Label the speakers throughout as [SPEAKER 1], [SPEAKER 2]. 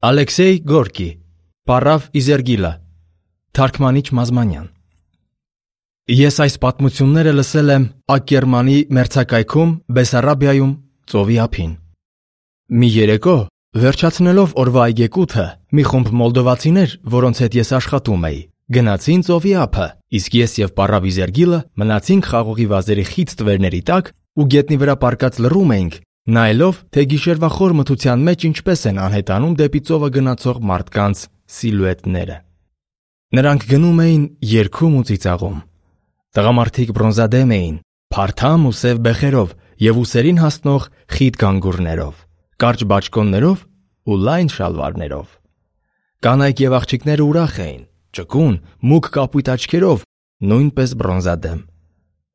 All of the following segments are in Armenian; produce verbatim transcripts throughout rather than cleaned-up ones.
[SPEAKER 1] Ալեքսեյ Գորկի, Պառավ Իզերգիլը, Թարգմանիչ Մազմանյան։ Ես այս պատմությունները լսել եմ Ակերմանի մերձակայքում Բեսարաբիայում ծովի ափին։ Մի երեկո, վերջացնելով օրվա այգեկութը, մի խումբ մոլդովացիներ, որոնց հետ ես աշխատում էի, գնացին ծովի ափը, իսկ ես եւ Պառավ Իզերգիլը մնացինք խաղողի վազերի խիտ տվերների տակ ու գետնի վրա պառկած լռում էինք, նայելով, թե գիշերվա խոր մթության մեջ ինչպես են անհետանում դեպի ծովը գնացող մարդկանց սիլուետները։ Նրանք գնում էին երգում ու ծիծաղում։ Տղամարդիկ բրոնզադեմ էին, փարթամ ու սև բեխերով եւ ուսերին հասնող խիտ գանգուրներով, կարճ բաճկոններով ու լայն շալվարներով։ Կանայք եւ աղջիկները ուրախ էին, ճկուն, մուգ կապույտ աչքերով, նույնպես բրոնզադեմ։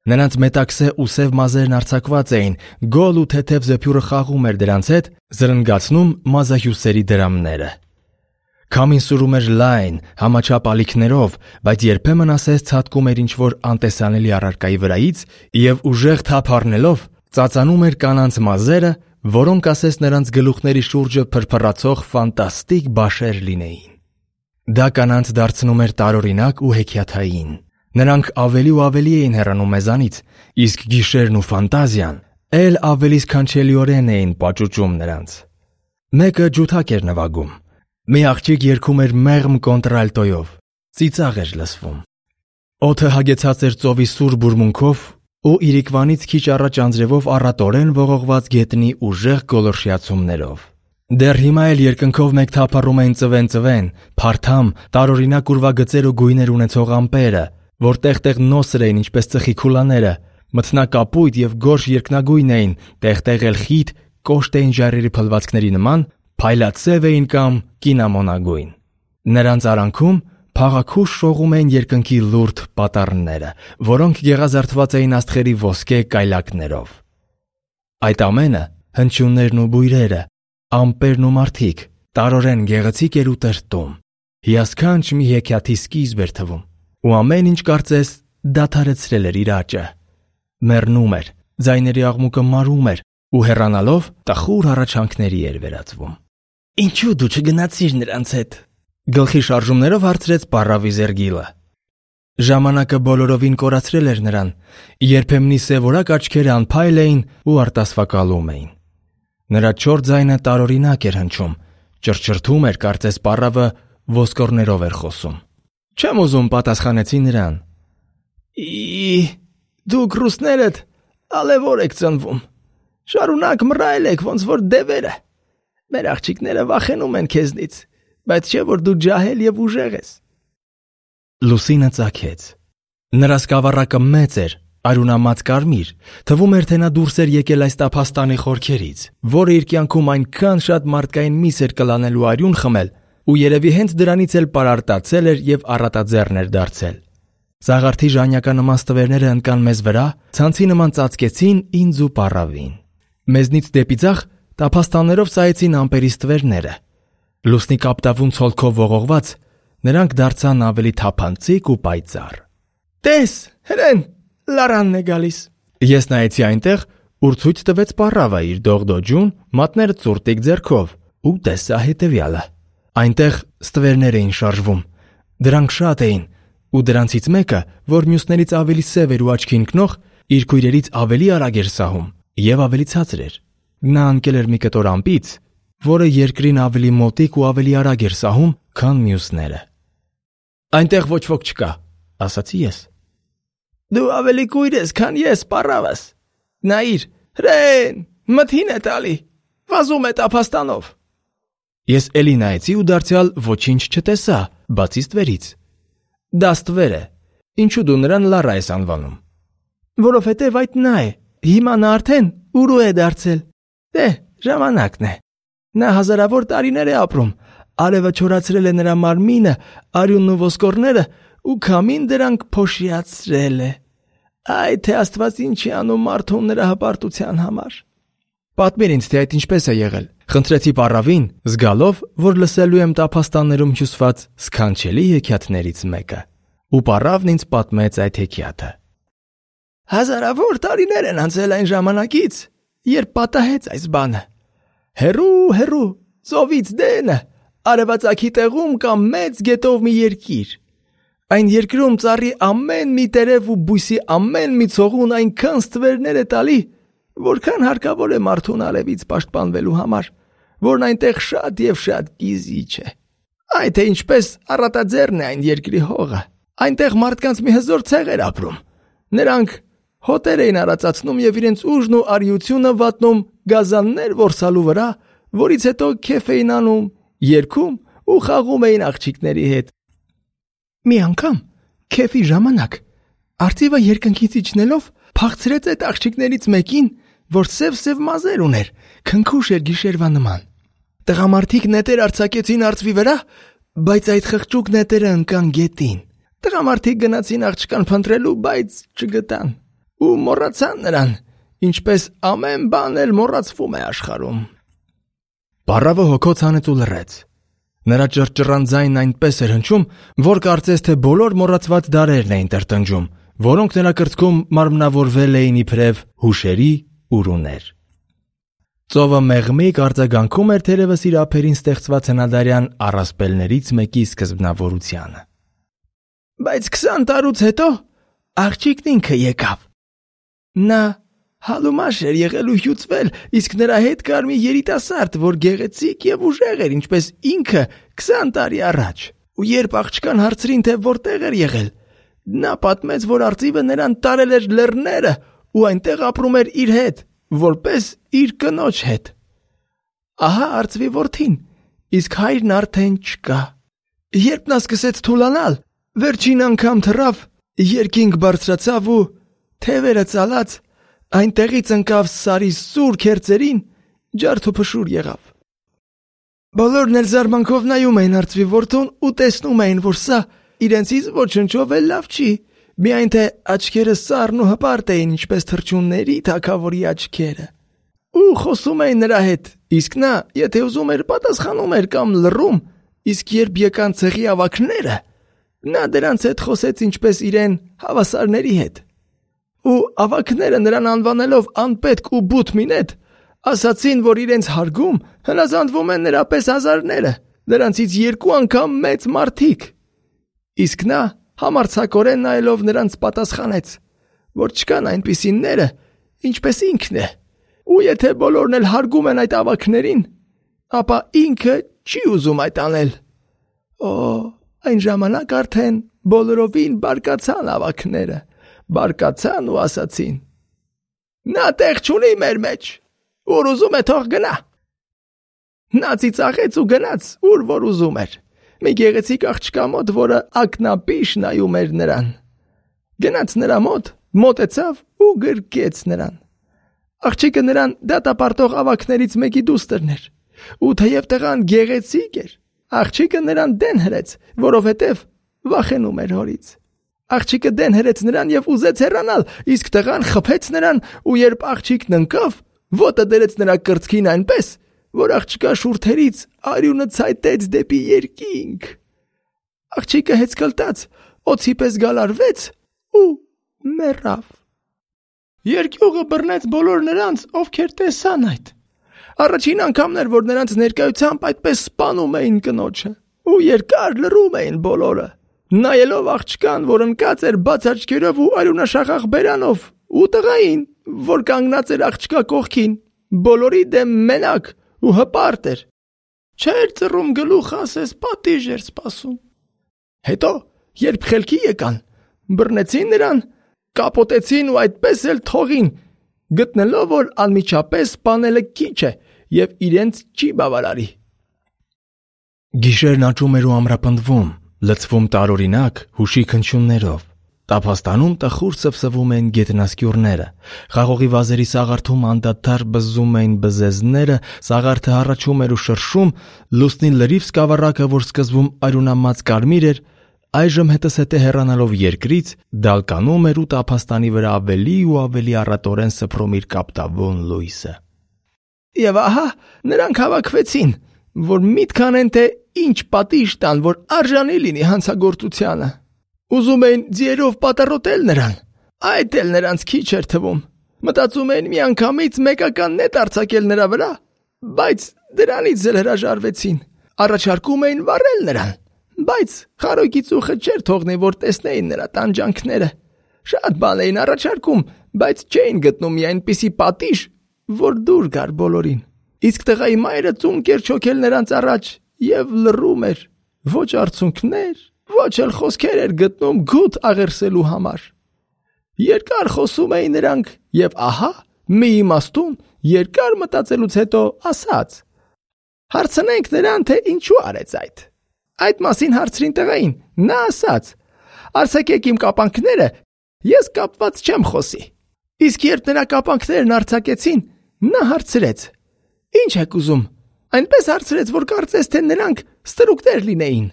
[SPEAKER 1] Նրանց մետաքսե ու սև մազերն արձակված էին, գոլ ու թեթև զեփյուրը խաղում էր դրանց հետ, զրնգացնում մազահյուսերի դրամները։ Քամին սուրում էր լայն, համաչափ ալիքներով, բայց երբեմն ասես ցատկում էր ինչ-որ անտեսանելի առարկայի վրայից եւ ուժեղ թափ առնելով ծածանում էր կանանց մազերը, որոնք ասես նրանց գլուխների շուրջը փրփռացող ֆանտաստիկ բաշեր լինեին։ Դա կանանց դարձնում էր տարօրինակ ու հեքիաթային։ Նրանք ավելի ու ավելի էին հեռանում մեզանից, իսկ գիշերն ու ֆանտազիան էլ ավելի սքանչելիորեն էին պաճուճում նրանց։ Մեկը ջութակ էր նվագում։ Մի աղջիկ երգում էր մեղմ կոնտրալտոյով, ծիծաղ էր լսվում։ Օդը հագեցած էր ծովի սուր բուրմունքով ու իրիկվանից քիչ առաջ անձրևով առատորեն ողողված գետնի ուժեղ գոլորշիացումներով։ Դեռ հիմա էլ երկնքով մեկ թափառում էին ծվեն-ծվեն, փարթամ, տարօրինակ ուրվագծեր ու գույներ ունեցող ամպերը, որ տեղ-տեղ նոսր էին ինչպես ծխի քուլաները, մթնակապույտ եւ գորշ երկնագույն էին, տեղ-տեղ էլ խիտ, կոշտ էին ժայռերի փլվածքների նման, փայլատսև էին կամ կինամոնագույն։ Նրանց արանքում փաղաքուշ շողում էին երկնքի լուրջ պատառները, որոնք գեղազարդված էին աստղերի ոսկե կայլակներով։ Այդ ամենը, հնչյուններն ու բույրերը, ամպերն ու մարդիկ, տարօրեն գեղեցիկ էր ու տրտում, հիասքանչ մի հեքիաթի սկիզբ էր թվում, ու ամեն ինչ կարծես դադարեցրել էր իր աճը։ Մեռնում էր, ձայների աղմուկը մարում էր ու հեռանալով տխուր առաջանքների էր վերածվում։ Ինչու դու չգնացիր նրանց հետ։ Գլխի շարժումներով հարցրեց Պառավ Իզերգիլը։ Ժամանակը բոլորովին կորացրել էր նրան, երբեմնի սևորակ աչքերը անփայլ էին ու արտասվակալում էին։ Նրա չոր ձայնը տարօրինակ էր հնչում, ճռճռթում էր, կարծես պառավը ոսկորներով էր խոսում։ Չեմ ուզում, պատասխանեցի նրան։ Ի, դուք ռուսներդ ալևոր եք ծնվում։ Շարունակ մռայլ եք, ոնց որ դևերը։ Մեր աղջիկները վախենում են քեզնից, բայց չէ որ դու ջահել եւ ուժեղ ես։ Լուսինը ծագեց։ Նրա սկավառակը մեծ էր, արյունամած կարմիր, թվում էր, թե նա դուրս էր եկել այս տափաստանի խորքերից, որը իր կյանքում այնքան շատ մարդկային միս էր կլանել ու արյուն խմել, ու երևի հենց դրանից էլ պարարտացել էր եւ առատաձեռն էր դարձել։ Զաղարթի ժանյականնման ստվերները ընկան մեզ վրա, ցանցի նման ծածկեցին ինձ ու Պառավին։ Մեզնից դեպի ձախ տափաստաններով սայեցին ամպերի ստվերները։ Լուսնի կապտավուն ցոլքով ողողված, նրանք դարձան ավելի թափանցիկ ու պայծառ։ Տես, հրեն, լարանն է գալիս։ Ես նայեցի այնտեղ, ուր ցույց տվեց Պառավը իր դողդոջուն, մատները ծուրտիկ ձեռքով, ու տեսա հետևյալը։ Այնտեղ ստվերներ էին շարժվում։ Դրանք շատ էին, ու դրանցից մեկը, որ մյուսներից ավելի սև էր ու աչքի ընկնող, իր քույրերից ավելի արագ էր սահում եւ ավելի ցածր էր։ Նա ընկել էր մի կտոր ամպից, որը երկրին ավելի մոտիկ ու ավելի արագ էր սահում, քան մյուսները։ Այնտեղ ոչ ոք չկա, ասացի ես։ Դու ավելի կույր ես, քան ես, Պառավս։ Նայիր, հրեն, մթին է տալի, վազում է տափաստանով։ Ես էլի նայեցի ու դարձյալ ոչինչ չտեսա, բացի ստվերից։ Դա ստվեր է։ Ինչու դու նրան լարա ես անվանում։ Որովհետև այդ նա է։ Հիմա նա արդեն ուրու է դարձել։ Դե, ժամանակն է։ Նա հազարավոր տարիներ է ապրում։ Արևը չորացրել է նրա մարմինը, արյունն ու ոսկորները, ու քամին դրանք փոշիացրել է։ Այ թե Աստված ինչի անում մարդուն նրա հպարտության համար։ Պատմիր ինձ, թե այդ ինչպես է եղել։ Խնդրեցի Պառավին, զգալով, որ լսելու եմ տափաստաններում հյուսված սքանչելի հեքիաթներից մեկը։ Ու Պառավն ինձ պատմեց այդ հեքիաթը։ Հազարավոր տարիներ են անցել այն ժամանակից, երբ պատահեց այս բանը։ Հերու, հերու, ծովից դենը, արևածագի տեղում կամ մեծ գետով մի երկիր։ Այն երկրում ծառի ամեն մի տերև ու բույսի ամեն մի ցողուն այնքան ստվերներ է տալի, որքան հարկավոր է մարդուն արևից պաշտպանվելու համար, որն այնտեղ շատ եւ շատ գիզիչ է։ Այ թե ինչպես առատաձեռն է այն երկրի հողը։ Այնտեղ մարդկանց մի հզոր ցեղեր ապրում։ Նրանք հոտեր էին արածացնում եւ իրենց ուժն ու արիությունը վատնում գազաններ որսալու վրա, որից հետո քեֆ էին անում, երգում ու խաղում էին աղջիկների հետ։ Մի անգամ քեֆի ժամանակ արծիվը երկնքից իջնելով փախցրեց այդ աղջիկներից մեկին, որ սև-սև մազեր ուներ, քնքուշ էր գիշերվա նման։ Տղամարդիկ նետեր արձակեցին արծվի վրա, բայց այդ խղճուկ նետերը ընկան գետին։ Տղամարդիկ գնացին աղջկան փնտրելու, բայց չգտան ու մոռացան նրան, ինչպես ամեն բան էլ մոռացվում է աշխարհում։ Պարավը հոգոց հանեց ու լռեց։ Նրա ճռճռան ձայնն այնպես էր հնչում, որ կարծես թե բոլոր մոռացված դարերն էին տրտնջում, որոնք նրա կրծքում մարմնավորվել էին իբրև հուշերի ուրուներ։ Ծովը մեղմիկ արձագանքում էր թերևս իր ափերին ստեղծված հնադարյան առասպելներից մեկի սկզբնավորությանը։ Բայց քսան տարուց հետո աղջիկն ինքը եկավ։ Նա հալումաշ էր եղել ու հյուծվել, իսկ նրա հետ կար մի երիտասարդ, որ գեղեցիկ եւ ուժեղ էր, ինչպես ինքը քսան տարի առաջ։ Ու երբ աղջկան հարցրին, թե որտեղ էր եղել, նա պատմեց, որ արծիվը նրան տարել էր լեռները ու այնտեղ ապրում էր իր հետ, որպես իր կնոջ հետ։ Ահա արծվի որդին, իսկ հայրն արդեն չկա։ Երբ նա սկսեց թուլանալ, վերջին անգամ թռավ, երկինք բարձրացավ ու թևերը ծալած այնտեղից ընկավ սարի սուր քերծերին, ջարդ ու փշուր եղավ։ Բոլորն էլ զարմանքով նայում էին արծվի որդուն ու տեսնում էին, որ սա իրենցից ոչնչով էլ լավ չի, միայն թե աչքերը սառն ու հպարտ էին, ինչպես թռչունների թագավորի աչքերը։ Ու խոսում էին նրա հետ, իսկ նա, եթե ուզում էր, պատասխանում էր կամ լռում, իսկ երբ եկան ցեղի ավագները, նա դրանց հետ խոսեց ինչպես իրեն հավասարների հետ։ Ու ավագները նրան անվանելով անպետք ու բութ մինետ, ասացին, որ իրենց հարգում հնազանդվում են նրա պես հազարները, նրանցից երկու անգամ մեծ մարդիկ։ Իսկ նա համարձակորեն նայելով նրանց պատասխանեց, որ չկան այնպիսիները, ինչպես ինքն է, ու եթե բոլորն էլ հարգում են այդ ավագներին, ապա ինքը չի ուզում այդ անել։ Օ, այն ժամանակ արդեն բոլորովին բարկացան ավագները, բարկացան ու ասացին. Նա տեղ չունի մեր մեջ, ուր ուզում է թող գնա։ Նա ծիծաղեց ու գնաց, ուր որ ուզում էր։ Մի գեղեցիկ աղջկա մոտ, որը ակնապիշ նայում էր նրան։ Գնաց նրա մոտ, մոտեցավ ու գրկեց նրան։ Աղջիկը նրան դատապարտող ավագներից մեկի դուստրն էր, ու թեև տղան գեղեցիկ էր, աղջիկը նրան դեն հրեց, որովհետև վախենում էր հորից։ Աղջիկը դեն հրեց նրան եւ ուզեց հեռանալ, իսկ տղան խփեց նրան, ու երբ աղջիկն ընկավ, ոտը դրեց նրա կրծքին այնպես, որ աղջկա շուրթերից արյունը ցայտեց դեպի երկինք։ Աղջիկը հեծկլտած, օձի պես գալարվեց ու մեռավ։ Երկյուղը բռնեց բոլոր նրանց, ովքեր տեսան այդ։ Առաջին անգամն էր, որ նրանց ներկայությամբ այդպես սպանում էին կնոջը, ու երկար լռում էին բոլորը, նայելով աղջկան, որ ընկած էր բաց աչքերով ու արյունաշաղախ բերանով, ու տղային, որ կանգնած էր աղջկա կողքին, բոլորի դեմ մենակ ու հպարտ էր։ Չէր ծռում գլուխը, ասես պատիժ էր սպասում։ Հետո, երբ խելքի եկան, բռնեցին նրան, կապոտեցին ու այդպես էլ թողին, գտնելով, որ անմիջապես սպանելը քիչ է եւ իրենց չի բավարարի։ Գիշերն աճում էր ու ամրապնդվում, լցվում տարօրինակ հուշի քնչյուններով։ Տափաստանում տխուր սվսվում էին գետնասկյուռները, խաղողի վազերի սաղարթում անդադար բզում էին բզեզները, սաղարթը հառաչում էր ու շրշում, լուսնի լրիվ սկավառակը, որ սկզբում արյունամած կարմիր էր, այժմ հետզհետե հեռանալով երկրից, դալկանում էր ու տափաստանի վրա ավելի ու ավելի առատորեն սփռում իր կապտավուն լույսը։ Եվ ահա նրանք հավաքվեցին, որ միտք անեն, թե ինչ պատիժ տան, որ արժանի լինի հանցագործությանը։ Ուզում էին ձիերով պատառոտել նրան, այդ էլ նրանց քիչ էր թվում։ Մտածում էին միանգամից մեկական նետ արձակել նրա վրա, բայց դրանից էլ հրաժարվեցին։
[SPEAKER 2] առաջարկում էին վառել նրան, բայց խարույկի ծուխը չէր թողնի, որ տեսնեին նրա տանջանքները։ Շատ բան էին առաջարկում, բայց չէին գտնում մի այնպիսի պատիժ, որ դուր գար բոլորին։ Իսկ տղայի մայրը ծունկ էր չոքել նրանց առաջ և լռում էր, ոչ արցունքներ, ոչ էլ խոսքեր էր գտնում գութ աղերսելու համար։ Երկար խոսում էին նրանք և ահա մի իմաստուն երկար մտածելուց հետո ասաց. «Հարցնենք նրան, թե ինչու արեց այդ»։ Այդ մասին հարցրին տղային, նա ասաց. «Արձակեք իմ կապանքները, ես կապված չեմ խոսի»։ Իսկ երբ նրա կապանքներն արձակեցին, նա հարցրեց. «Ինչ եք ուզում»։ Այնպես հարցրեց, որ կարծես թե նրանք ստրուկներ լինեին։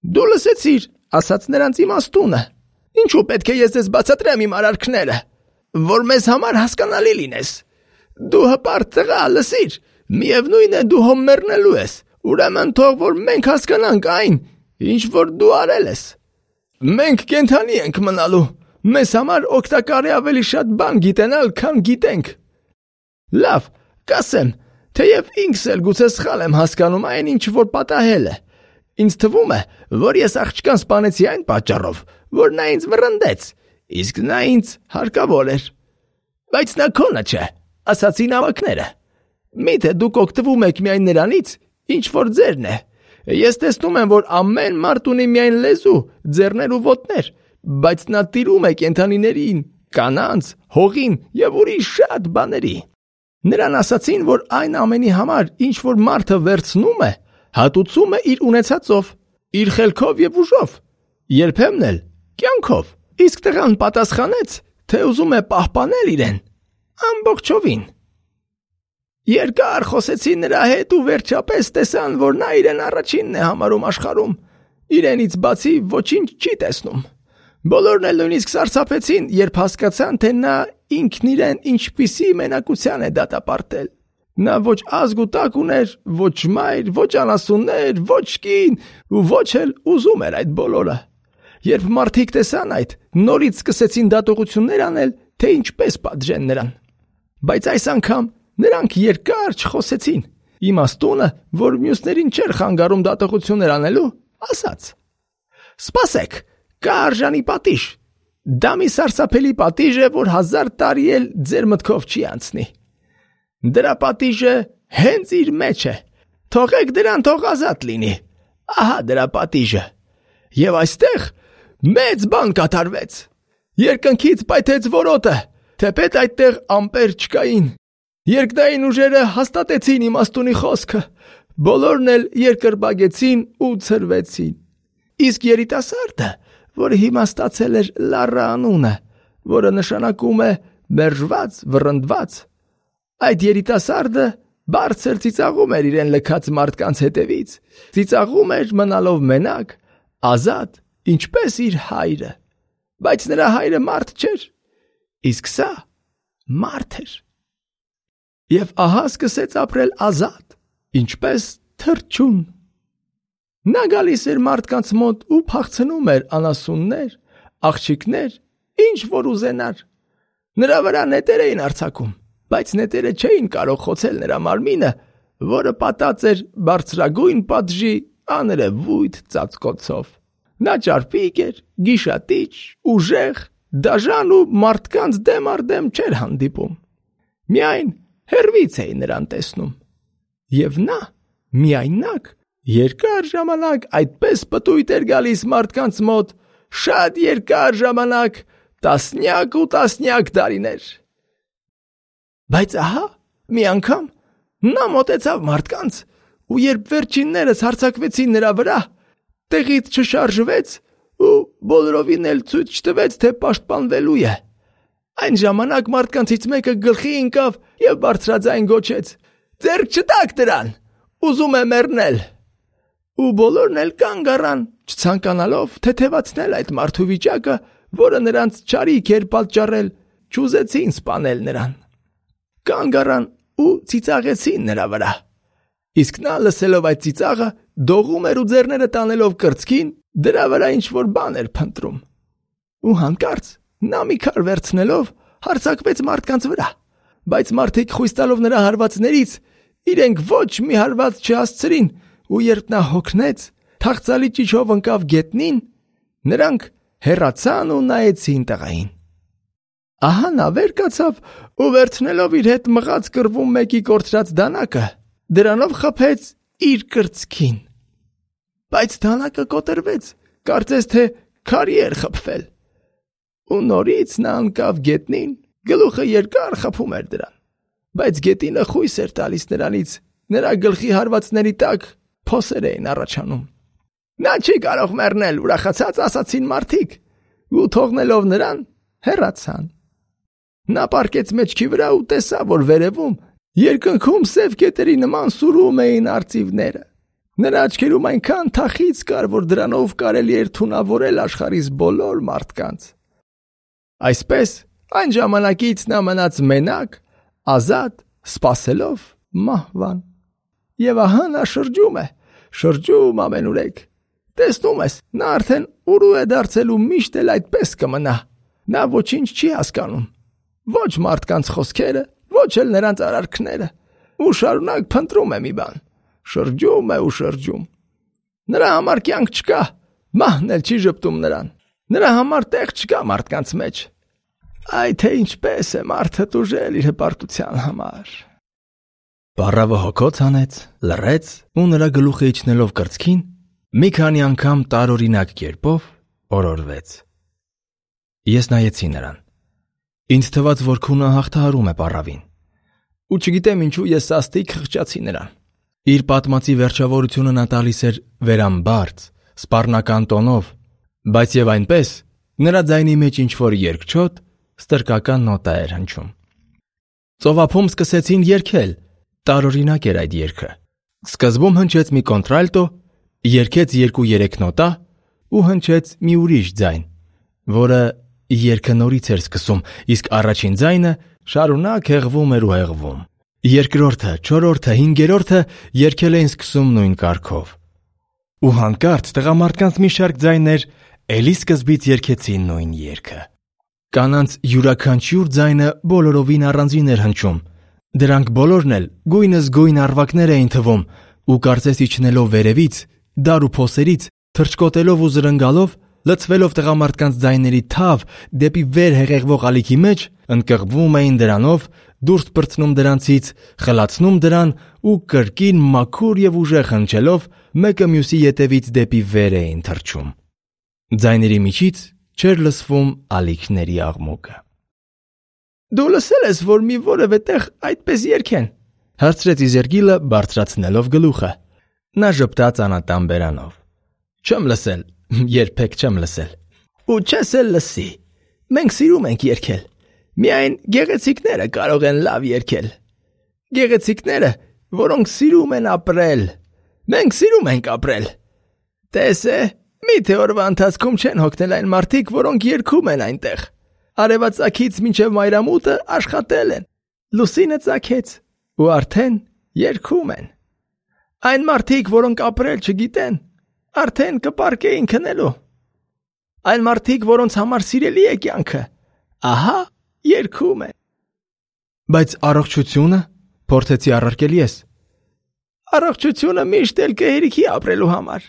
[SPEAKER 2] «Դու լսեցիր», ասաց նրանց իմաստունը, «ինչու պետք է ես ձեզ բացատրեմ իմ արարքները, որ մեզ համար հասկանալի լինես։ Դու հպարտ տղա, լսիր, միևնույն է դու հոմ մեռնելու ես, ուրեմն թող որ մենք հասկանանք այն, ինչ որ դու արել ես։ Մենք կենդանի ենք մնալու, մեզ համար օգտակար է ավելի շատ բան գիտենալ, քան գիտենք։ Լավ, կասեմ, թեև ինքս էլ գուցե սխալ եմ հասկանում այն, ինչ որ պատահել է։ Ինձ թվում է, որ ես աղջկան սպանեցի այն պատճառով, որ նա ինձ վռնդեց, իսկ նա ինձ հարկավոր էր։ Բայց նա քոնը չէ, ասացին ավակները։ Միթե դուք օգտվում եք միայն նրանից, ինչ որ ձերն է։ Ես տեսնում եմ, որ ամեն մարդ ունի միայն լեզու, ձեռներ ու ոտներ, բայց նա տիրում է կենդանիներին, կանանց, հողին և ուրիշ շատ բաների։ Նրան ասացին, որ այն ամենի համար, ինչ որ մարդը վերցնում է, հատուցում է իր ունեցածով, իր խելքով և ուժով, երբեմն էլ կյանքով։ Իսկ տղան պատասխանեց, թե ուզում է պահպանել իրեն ամբողջովին։ Երկար խոսեցին նրա հետ ու վերջապես տեսան, որ նա իրեն առաջինն է համարում աշխարհում, իրենից բացի ոչինչ չի տեսնում։ Բոլորն էլ նույնիսկ սարսափեցին, երբ հասկացան, թե նա ինքն իրեն ինչպիսի մենակության է դատապարտել։ Նա ոչ ազգ ու տակ ուներ, ոչ մայր, ոչ անասուններ, ոչ կին ու ոչ էլ ուզում էր այդ բոլորը։ Երբ մարդիկ տեսան այդ, նորից սկսեցին դատողություններ անել, թե ինչպես պատժեն նրան։ Բայց այս անգամ նրանք երկար չխոսեցին։ Իմաստունը, որ մյուսներին չէր խանգարում դատողություններ անելու, ասաց. «Սպասեք, կա արժանի պատիժ։ Դա մի սարսափելի պատիժ է, որ հազար տարի էլ ձեր մտքով չի անցնի։ Դրա պատիժը հենց իր մեջ է։ Թողեք դրան, թող ազատ լինի։ Ահա դրա պատիժը։ Եվ այստեղ մեծ բան կատարվեց։ Երկնքից պայթեց որոտը, թեպետ այդտեղ ամպեր չկային։ Երկնային ուժերը հաստատեցին իմաստունի խոսքը, բոլորն էլ երկրպագեցին ու ցրվեցին։ Իսկ երիտասարդը, որը հիմա ստացել էր Լառա անունը, որը նշանակում է մերժված, վռնդված, այդ երիտասարդը բարձր ծիծաղում էր իրեն լքած մարդկանց հետևից, ծիծաղում էր մնալով մենակ, ազատ, ինչպես իր հայրը, բայց նրա հայրը մարդ չէր, իսկ սա մարդ էր։ Եվ ահա սկսեց ապրել ազատ, ինչպես թռչուն։ Նա գալիս էր մարդկանց մոտ ու փախցնում էր անասուններ, աղջիկներ, ինչ որ ուզենար։ Նրա վրա նետեր էին արձակում, բայց նետերը չէին կարող խոցել նրա մարմինը, որը պատած էր բարձրագույն պատժի աներևույթ ծածկոցով։ Նա ճարպիկ էր, գիշատիչ, ուժեղ, դաժան ու մարդկանց դեմ առ դեմ չէր հանդիպում։ Միայն հեռվից էին նրան տեսնում։ Եվ նա միայնակ երկար ժամանակ այդպես պտույտ էր գալիս մարդկանց մոտ, շատ երկար ժամանակ, տասնյակ ու տասնյակ տարիներ։ Բայց ահա մի անգամ նա մոտեցավ մարդկանց ու երբ վերջիններս հարձակվեցին նրա վրա, տեղից չշարժվեց ու բոլորովին էլ ցույց չտվեց, թե պաշտպանվելու է։ Այն ժամանակ մարդկանցից մեկը գլխի ընկավ և բարձրաձայն գոչեց. «Ձեռք չտաք դրան, ուզում է մեռնել»։ Ու բոլորն էլ կանգ առան, չցանկանալով թեթևացնել այդ մարդու վիճակը, որը նրանց չարիք էր պատճառել, չուզեցին սպանել նրան։ Կանգ առան ու ծիծաղեցին նրա վրա։ Իսկ նա լսելով այդ ծիծաղը, դողում էր ու ձեռները տանելով կրծքին, դրա վրա ինչ-որ բան էր փնտրում։ Ու հանկարծ նա մի քար վերցնելով հարձակվեց մարդկանց վրա, բայց մարդիկ խույս տալով նրա հարվածներից, իրենք ոչ մի հարված չհասցրին ու երբ նա հոգնեց, թախծալի ճիչով ընկավ գետնին, նրանք հեռացան ու նայեցին տղային։ Ահա նա վեր կացավ ու վերցնելով իր հետ մղած կռվում մեկի կորցրած դանակը, դրանով խփեց իր կրծքին։ Բայց դանակը կոտրվեց, կարծես թե քարի էր խփվել։ Ու նորից նա ընկավ գետնին, գլուխը երկար խփում էր դրան, բայց գետինը խույս էր տալիս նրանից, նրա գլխի հարվածների տակ փոսեր էին առաջանում։ Նա չի կարող մեռնել, ուրախացած ասացին մարդիկ, ու թողնելով նրան հեռացան։ Նա պառկեց մեջքի վրա ու տեսավ, որ վերևում երկնքում սև կետերի նման սուրում էին արծիվները։ Նրա աչքերում այնքան թախիծ կար, որ դրանով կարելի էր թունավորել աշխարհիս բոլոր մարդկանց։ Այսպես այն ժամանակից նա մնաց մենակ, ազատ, սպասելով մահվան։ Եվ ահա նա շրջում է, շրջում ամենուրեք։ Տեսնում ես, նա արդեն ուրու է դարձել ու միշտ էլ այդպես կմնա։ Նա ոչինչ չի հասկանում, ոչ մարդկանց խոսքերը, ոչ էլ նրանց արարքները, ու շարունակ փնտրում է մի բան, շրջում է ու շրջում։ Նրա համար կյանք չկա, մահն էլ չի ժպտում նրան, նրա համար տեղ չկա մարդկանց մեջ։ Այ թե ինչպես է մարդը տուժել իր հպարտության համար։
[SPEAKER 1] Պառավը հոգոց հանեց, լռեց ու նրա գլուխը իջնելով կրծքին, մի քանի անգամ տարօրինակ կերպով օրորվեց։ Ես նայեցի նրան։ Ինձ թվաց, որ քունը հաղթահարում է պառավին։ Ու չգիտեմ ինչու ես սաստիկ խղճացի նրան։ Իր պատմածի վերջավորությունը նա տալիս էր վերամբարձ, սպառնական տոնով, բայց եւ այնպես նրա ձայնի մեջ ինչ-որ երկչոտ, ստրկական նոտա էր հնչում։ Ծովափում սկսեցին երգել, տարօրինակ էր այդ երգը։ Սկզբում հնչեց մի կոնտրալտո, երգեց երկու-երեք նոտա ու հնչեց մի ուրիշ ձայն, որը երգը նորից էր սկսում, իսկ առաջին ձայնը շարունակ հեղվում էր ու հեղվում։ Երկրորդը, չորրորդը, հինգերորդը երգել էին սկսում նույն կարգով։ Ու հանկարծ տղամարդկանց մի շարք ձայներ էլի սկզբից երգեցին նույն երգը։ Կանանց յուրաքանչյուր ձայնը բոլորովին առանձին էր հնչում։ Դրանք բոլորն էլ գույնս գույն արվակներ էին թվում ու կարծես իջնելով վերևից, դար ու փոսերից, թռչկոտելով ու զրնգալով, լցվելով տղամարդկանց ձայների թավ դեպի վեր հեղեղվող ալիքի մեջ, ընկղվում էին դրանով, դուրս պրծնում դրանցից, խլացնում դրան ու կրկին մաքուր եւ ուժեղ հնչելով մեկը մյուսի ետևից դեպի վեր էին թռչում։ Ձայների միջից չէր լսվում ալիքների աղմուկը։
[SPEAKER 2] Դու լսել ես, որ մի որևէ տեղ այդպես երգեն,
[SPEAKER 1] հարցրեց Իզերգիլը բարձրացնելով գլուխը։ Նա ժպտաց անատան բերանով։ Չեմ լսել, երբեք չեմ լսել։
[SPEAKER 2] Ու չես էլ լսի։ Մենք սիրում ենք երգել։ Միայն գեղեցիկները կարող են լավ երգել։ Գեղեցիկները, որոնք սիրում են ապրել։ Մենք սիրում ենք ապրել։ Տես է, միթե օրվա ընթացքում չեն հոգնել այն մարդիկ, որոնք երգում են այնտեղ։ Արևածագից մինչև մայրամուտը աշխատել են։ Լուսինը ծագեց ու արդեն երգում են։ Այն մարդիկ, որոնք ապրել չգիտեն, արդեն կպարկեին քնելու։ Այն մարդիկ, որոնց համար սիրելի է կյանքը, ահա երգում են։
[SPEAKER 1] Բայց առողջությունը, փորձեցի առարկել ես։
[SPEAKER 2] Առողջությունը միշտ էլ կհերիքի ապրելու համար։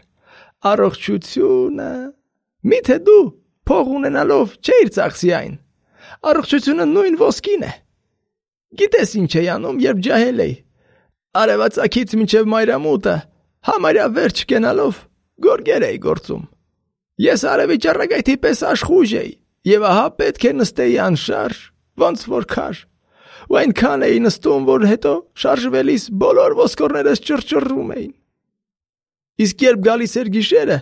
[SPEAKER 2] Առողջությունը, միթե դու փող ունենալով չէիր ծախսի այն։ Առողջությունը նույն ոսկին է։ Գիտես ինչ էի անում, երբ ջահել էի։ Արևածագից մինչև մայրամուտը, համարյա վերջ կենալով, գորգեր էի գործում։ Ես արևի ճառագայթի պես աշխույժ էի, եւ ահա պետք է նստեի անշարժ, ոնց որ քար։ Ու այնքան էի նստում, որ հետո շարժվելիս բոլոր ոսկորներս ճռճռում էին։ Իսկ երբ գալիս էր գիշերը,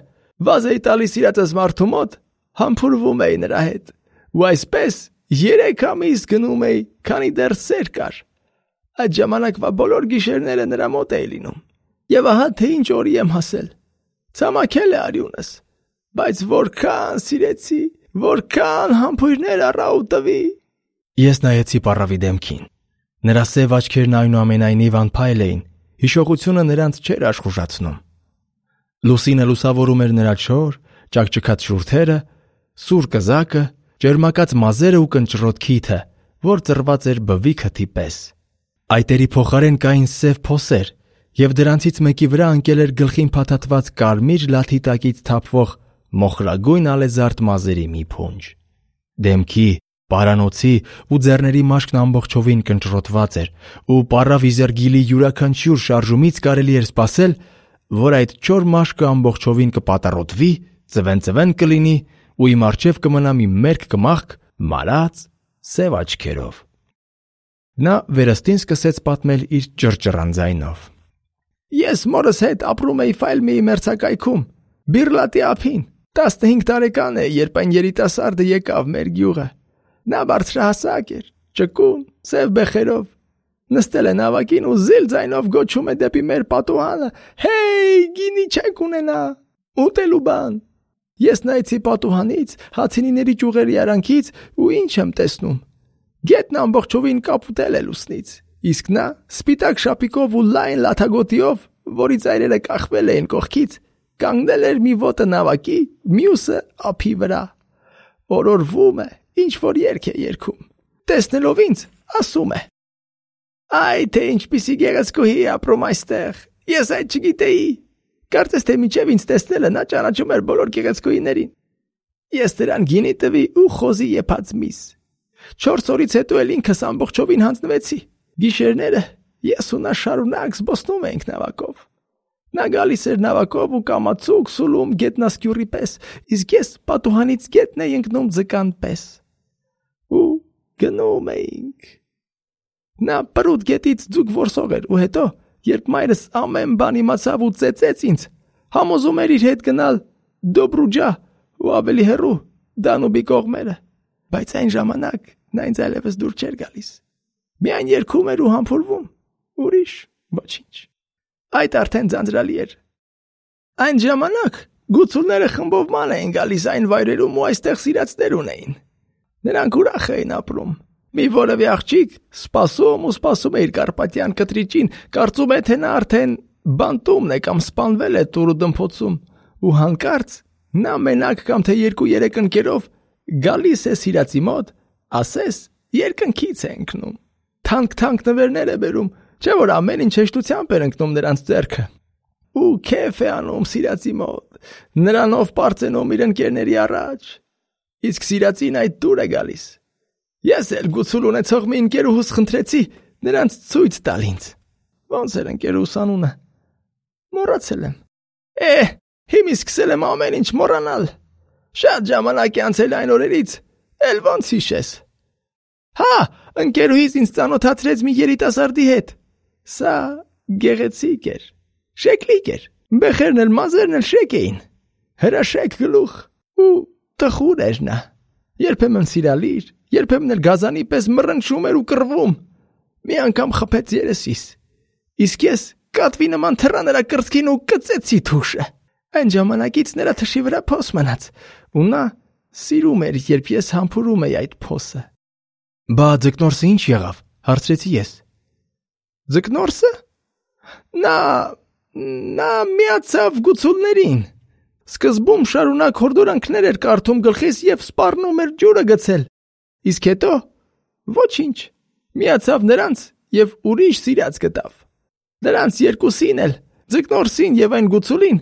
[SPEAKER 2] վազ էի տալիս իրացս մարդու մոտ, համբուրվում էի նրա հետ։ Ու այսպես երեք ամիս գնում էի, քանի դեռ սեր կար։ Այդ ժամանակվա բոլոր գիշերները նրա մոտ էի լինում։ Եվ ահա թե ինչ օրի եմ հասել։ Ցամաքել է արյունս, բայց որքան սիրեցի, որքան համբույրներ առա ու տվի։
[SPEAKER 1] Ես նայեցի պառավի դեմքին։ Նրա սև աչքերն այնուամենայնիվ անփայլ էին, հիշողությունը նրանց չէր աշխուժացնում։ Լուսինը լուսավորում էր նրա չոր, ճակճկած շուրթերը, սուր կզակը, ջերմակած մազերը ու կնճռոտ քիթը, որ ծռված էր բվի քթի պես։ Այտերի փոխարեն կային սև փոսեր եւ դրանցից մեկի վրա ընկել էր գլխին փաթաթված կարմիր լաթի տակից թափվող մոխրագույն ալեզարդ մազերի մի փունջ։ Դեմքի, պարանոցի ու ձեռների մաշկն ամբողջովին կնճռոտված էր, ու պարավ Իզերգիլի յուրաքանչյուր շարժումից կարելի էր սպասել, որ այդ չոր մաշկը ամբողջովին կպատառոտվի, ծվեն-ծվեն կլինի ու իմ առջև կմնա մի մերկ կմախք մարած սև աչքերով։ Նա վերստին սկսեց պատմել իր ճռճռան ձայնով։
[SPEAKER 2] Ես մորս հետ ապրում էի Ֆայլմիի մերձակայքում, Բիրլատի ափին, տասնհինգ տարեկան է, երբ այն երիտասարդը եկավ մեր գյուղը։ Նա բարձրահասակ էր, ճկուն, սև բեխերով, նստել է նավակին ու զիլ ձայնով գոչում է դեպի մեր պատուհանը. «Հեյ, գինի չեք ունենա, ուտելու բան»։ Ես նայեցի պատուհանից, հացինիների ճյուղերի արանքից ու ինչ եմ տեսնում։ Գետն ամբողջովին կապուտել է լուսնից, իսկ նա սպիտակ շապիկով ու լայն լաթագոտիով, որի ծայրերը կախվել էին կողքից, կանգնել էր մի ոտը նավակի, մյուսը ափի վրա։ Օրորվում է, ինչ որ երգ է երգում։ Տեսնելով ինձ, ասում է. «Այ թե ինչպիսի գեղեցկուհի ապրում այստեղ, ես այդ չգիտեի։ Կարծես թե միջև ինձ տեսնելը նա ճանաչում էր բոլոր գեղեցկուհիներին։ Ես դրան գինի տվի ու խոզի եփած միս։ Չորս օրից հետո էլ ինքս ամբողջովին հանձնվեցի։ Գիշերները ես ու նա շարունակ զբոսնում էինք նավակով։ Նա գալիս էր նավակով ու կամացուկ սուլում գետնասկյուրի պես, իսկ ես պատուհանից գետն էի ընկնում ձկան պես։ Ու գնում էինք։ Նա պրուտ գետից ձուկ որսող էր ու հետո, երբ մայրս ամեն բան իմացավ ու ծեծեց ինձ, համոզում էր իր հետ գնալ Դոբրուջա ու ավելի հեռու Դանուբի կողմերը, բայց այն ժամանակ նա ինձ այլևս դուր չէր գալիս։ Միայն երգում էր ու համբուրվում, ուրիշ ոչինչ։ Այդ արդեն ձանձրալի էր։ Այն ժամանակ գուցուլները խմբով ման էին գալիս այն վայրերում ու այստեղ սիրածներ ունեին։ Նրանք ուրախ էին ապրում։ Մի որևէ աղջիկ սպասում ու սպասում է իր կարպատյան կտրիճին, կարծում է, թե նա արդեն բանտումն է կամ սպանվել է տուրու դմփոցում, ու հանկարծ նա մենակ կամ թե երկու-երեք ընկերով գալիս է սիրածի մոտ, ասես երկնքից է ընկնում։ Թանկ-թանկ նվերներ է բերում, չէ՞ որ ամեն ինչ հեշտությամբ էր ընկնում նրանց ձեռքը։ Ու քեֆ է անում սիրածի մոտ, նրանով պարծենում իր ընկերների առաջ, իսկ սիրածին այդ դուր է գալիս։ Ես էլ գուցուլ ունեցող մի ընկերուհուս խնդրեցի նրանց ցույց տալ ինձ։ Ոնց էր ընկերուհուս անունը։ Մոռացել եմ։ Է, հիմա սկսել եմ ամեն ինչ մոռանալ։ Շատ ժամանակ է անցել այն օրերից, էլ ոնց հիշես։ Հա, ընկերուհիս ինձ ծանոթացրեց մի երիտասարդի հետ։ Սա գեղեցիկ էր, շեկլիկ էր, բեխերն էլ մազերն էլ շեք էին, հրաշեք գլուխ ու տխուր էր նա։ Երբեմն սիրալիր, երբեմն էլ գազանի պես մռնչում էր ու կռվում։ Մի անգամ խփեց երեսիս, իսկ ես կատվի նման թռա նրա կրծքին ու կծեցի թուշը։ Այն ժամանակից նրա թշի վրա փոս մնաց, ու նա սիրում էր, երբ ես համբուրում էի այդ փոսը։
[SPEAKER 1] Բա ձկնորսը ինչ եղավ, հարցրեցի ես։
[SPEAKER 2] Ձկնորսը։ Նա նա միացավ գուցուլներին։ Սկզբում շարունակ հորդորանքներ էր կարդում գլխիս եւ սպառնում էր ջուրը գցել։ Իսկ հետո ոչինչ, միացավ նրանց եւ ուրիշ սիրած գտավ։ Նրանց երկուսին էլ, ձկնորսին եւ այն գուցուլին,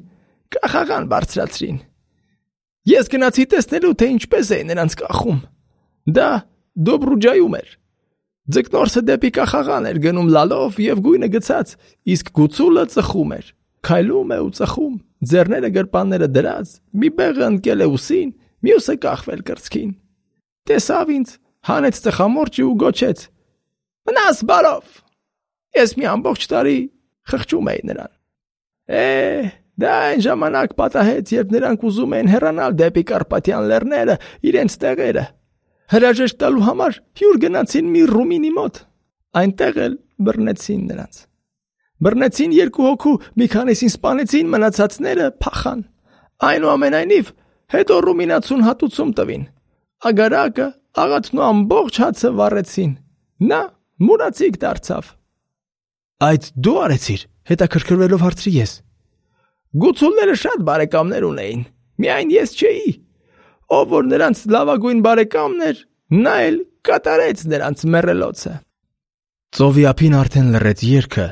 [SPEAKER 2] կախաղան բարձրացրին։ Ես գնացի տեսնելու, թե ինչպես է նրանց կախում։ Դա Դոբրուջայում էր։ Ձկնորսը դեպի կախաղան էր գնում լալով եւ գույնը գցած, իսկ գուցուլը ծխում էր։ Քայլում է ու ծխում, ձեռները գրպանները դրած, մի բեղը ընկել է ուսին, մյուսը կախվել կրծքին։ Տեսավ ինձ, հանեց ծխամորճը ու գոչեց. «Մնաս բարով»։ Ես մի ամբողջ տարի խղճում էի նրան։ Է, դա այն ժամանակ պատահեց, երբ նրանք ուզում էին հեռանալ դեպի Կարպատյան լեռները, իրենց տեղերը։ Հրաժեշտ տալու համար հյուր գնացին մի ռումինի մոտ։ Այնտեղ էլ բռնեցին նրանց։ Բռնեցին երկու հոգու, մի քանիսին սպանեցին, մնացածները փախան։ Այնուամենայնիվ, հետո ռումինացուն հատուցում տվին։ Ագարակը, աղաթն ու ամբողջ հացը վառեցին։ Նա մուրացիկ դարձավ։
[SPEAKER 1] Այդ դու արեցիր, հետաքրքրվելով հարցրի ես։
[SPEAKER 2] Գուցուլները շատ բարեկամներ ունեին, միայն ես չէի։ Ով որ նրանց լավագույն բարեկամն էր, նա էլ կատարեց նրանց մեռելոցը։
[SPEAKER 1] Ծովի ափին արդեն լռեց երգը,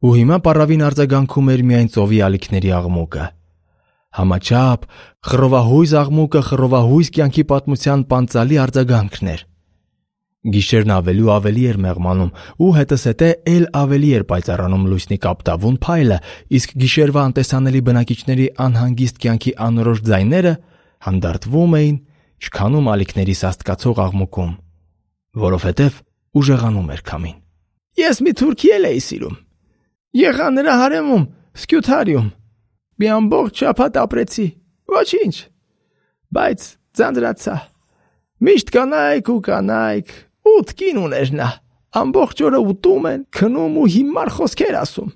[SPEAKER 1] ու հիմա պառավին արձագանքում էր միայն ծովի ալիքների աղմուկը։ Համաչափ, խռովահույզ աղմուկը խռովահույզ կյանքի պատմության պանծալի արձագանքն էր։ Գիշերն ավելի ու ավելի էր մեղմանում, ու հետզհետե էլ ավելի էր պայծառանում լուսնի կապտավուն փայլը, իսկ գիշերվա անտեսանելի բնակիչների անհանգիստ կյանքի անորոշ ձայները հանդարտվում էին, չքանում ալիքների սաստկացող աղմուկում, որովհետև ուժեղանում էր քամին։
[SPEAKER 2] Ես մի թուրքի էլ էի սիրում։ Եղա նրա հարեմում, Սկյութարիում։ Մի ամբողջ շաբաթ ապրեցի, ոչինչ, բայց ձանձրացա։ Միշտ կանայք ու կանայք, ութ կին ուներ նա, ամբողջ օրը ուտում են, քնում ու հիմար խոսքեր ասում,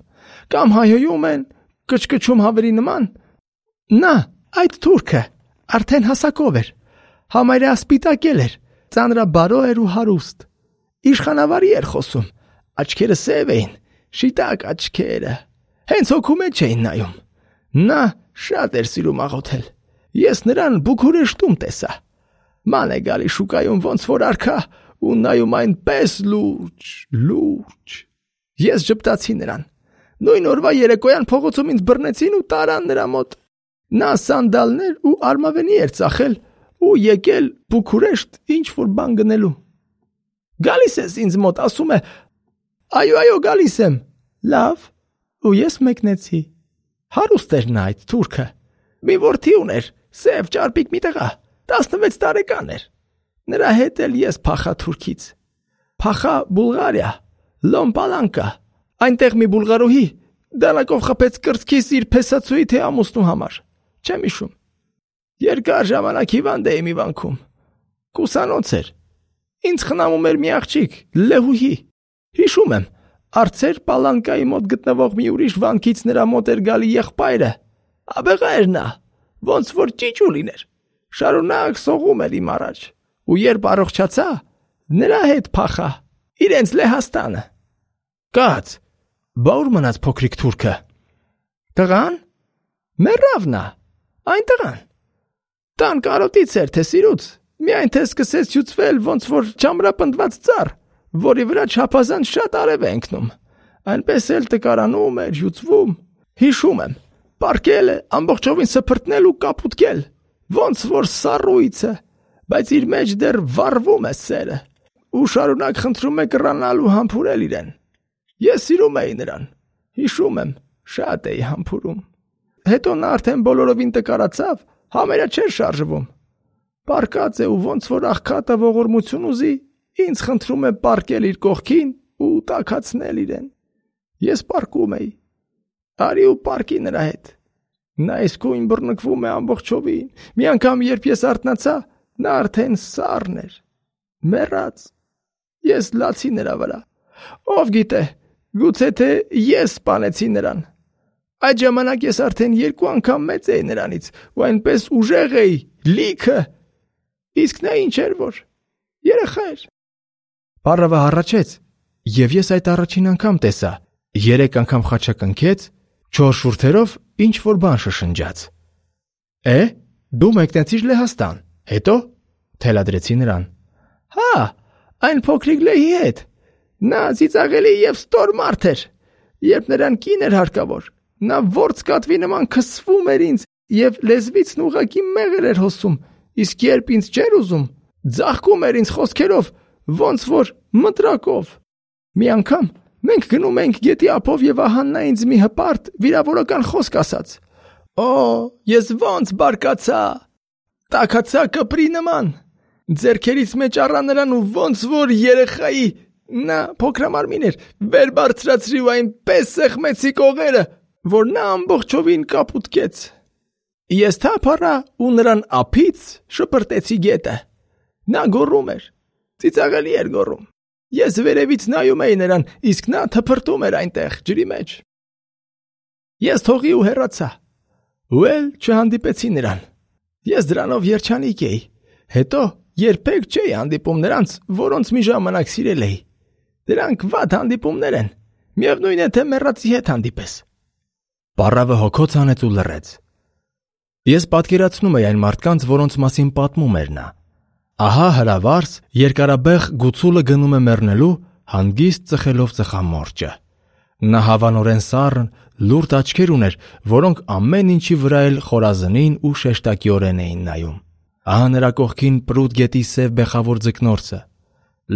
[SPEAKER 2] կամ հայհոյում են, կչկչում հավերի նման։ Նա, այդ թուրքը, արդեն հասակով էր, համարյա սպիտակել էր, ծանրաբարո էր ու հարուստ, իշխանավարի էր խոսում, աչքերը սև էին, շիտակ աչքերը, հենց հոգու մեջ էին նայում։ Նա շատ էր սիրում աղոթել։ Ես նրան Բուքուրեշտում տեսա։ Ման է գալի շուկայում ոնց որ արքա ու նայում այնպես լուրջ, լուրջ։ Ես ժպտացի նրան։ Նույն օրվա երեկոյան փողոցում ինձ բռնեցին ու տարան նրա մոտ։ Նա սանդալներ ու արմավենի էր ծախել ու եկել Բուքուրեշտ ինչ որ բան գնելու։ Գալիս ես ինձ մոտ, ասում է. այո, այո, գալիս եմ։ Լավ, ու ես մեկնեցի։ Հարուստ էր նա այդ թուրքը։ Մի որդի ուներ, սև ճարպիկ մի տղա, տասնվեց տարեկան էր։ Նրա հետ էլ ես փախա Թուրքից։ Փախա Բուլղարիա, Լոմպալանկա։ Այնտեղ մի բուլղարուհի դանակով խփեց կրծքիս իր փեսացուի թե ամուսնու համար։ Չեմ հիշում։ Երկար ժամանակ հիվանդ էի մի վանքում։ Կուսանոց էր։ Ինձ խնամում էր մի աղջիկ, Լեհուհի։ Հիշում եմ, Արցեր Պալանկայի մոտ գտնվող մի ուրիշ վանքից նրա մոտ էր գալի եղբայրը։ Աբեղա էր նա, ոնց որ ճիճու լիներ։ Շարունակ սողում էր իմ առաջ, ու երբ առողջացա, նրա հետ փախա, իրենց Լեհաստանը։ Կաց, բա ուր մնաց փոքրիկ թուրքը։ Տղան։ Մեռավ նա, այն տղան։ Տան կարոտից էր թե սիրուց, միայն թե սկսեց հյուծվել ոնց որ չամրապնդված ծառ, որի վրա չափազանց շատ արև է ընկնում։ Այնպես էլ տկարանում էր, հյուծվում։ Հիշում եմ, պարկել է, ամբողջովին սփրտնել ու կապուտկել, ոնց որ սառույցը, բայց իր մեջ դեռ վառվում է սերը, ու շարունակ խնդրում է կռանալ ու համբուրել իրեն։ Ես սիրում էի նրան, հիշում եմ, շատ էի համբուրում։ Հետո նա արդեն բոլորովին տկարացավ, համարյա չէր շարժվում։ Պարկած է ու ոնց որ աղքատը ողորմություն ուզի, ինձ խնդրում է պարկել իր կողքին ու տաքացնել իրեն։ Ես պարկում էի։ Արի ու պարկի նրա հետ։ Նա իսկույն բռնկվում է ամբողջովին։ Մի անգամ երբ ես արթնացա, նա արդեն սառն էր, մեռած։ Ես լացի նրա վրա։ Ով գիտե, գուցե թե ես սպանեցի նրան։ Այդ ժամանակ ես արդեն երկու անգամ մեծ էի նրանից ու այնպես ուժեղ էի, լիքը։ Իսկ նա ինչ էր որ երեխա էր։
[SPEAKER 1] Պառավը հառաչեց, և ես այդ առաջին անգամ տեսա, երեք անգամ խաչակնքեց, չոր շուրթերով ինչ որ բան շշնջաց։ Է, դու մեկնեցիր Լեհաստան, հետո թելադրեցի նրան։
[SPEAKER 2] Հա, այն փոքրիկ Լեհի հետ։ Նա ծիծաղելի և ստոր մարդ էր։ Երբ նրան կին էր հարկավոր, նա որց կատվի նման քսվում էր ինձ և լեզվիցն ուղղակի մեղր էր հոսում, իսկ երբ ինձ չէր ուզում, ձաղկում էր ինձ խոսքերով, ոնց որ մտրակով։ Մի անգամ մենք գնում ենք գետի ափով և ահա նա ինձ մի հպարտ վիրավորական խոսք ասաց։ Օ, ես ոնց բարկացա, տաքացա կպրի նման, ձեռքերից մեջ առա նրան ու ոնց որ երեխայի, նա փոքրամարմին էր, վեր բարձրացրի ու այնպես սեղմեցի կողերը, որ նա ամբողջովին կապուտկեց։ Ես թափ առա ու նրան ափից շպրտեցի գետը։ Նա գոռում էր, ծիծաղելի էր գոռում։ Ես վերևից նայում էի նրան, իսկ նա թփրտում էր այնտեղ ջրի մեջ։ Ես թողի ու հեռացա։ Ու էլ չհանդիպեցի նրան։ Ես դրանով երջանիկ էի։ Հետո երբեք չէի հանդիպում նրանց, որոնց մի ժամանակ սիրել էի։ Դրանք վատ հանդիպումներ են։ Միևնույն է, թե մեռածի հետ հանդիպես։
[SPEAKER 1] Պառավը հոգոց հանեց ու լռեց։ Ես պատկերացնում էի այն մարդկանց, որոնց մասին պատմում էր նա։ Ահա հրավարս երկարաբեղ գուցուլը գնում է մեռնելու, հանգիստ ծխելով ծխամորճը։ Նա հավանորեն սառն, լուրջ աչքեր ուներ, որոնք ամեն ինչի վրա էլ խորազնին ու շեշտակիորեն էին նայում։ Ահա նրա կողքին պրուտ գետի սև բեխավոր ձկնորսը։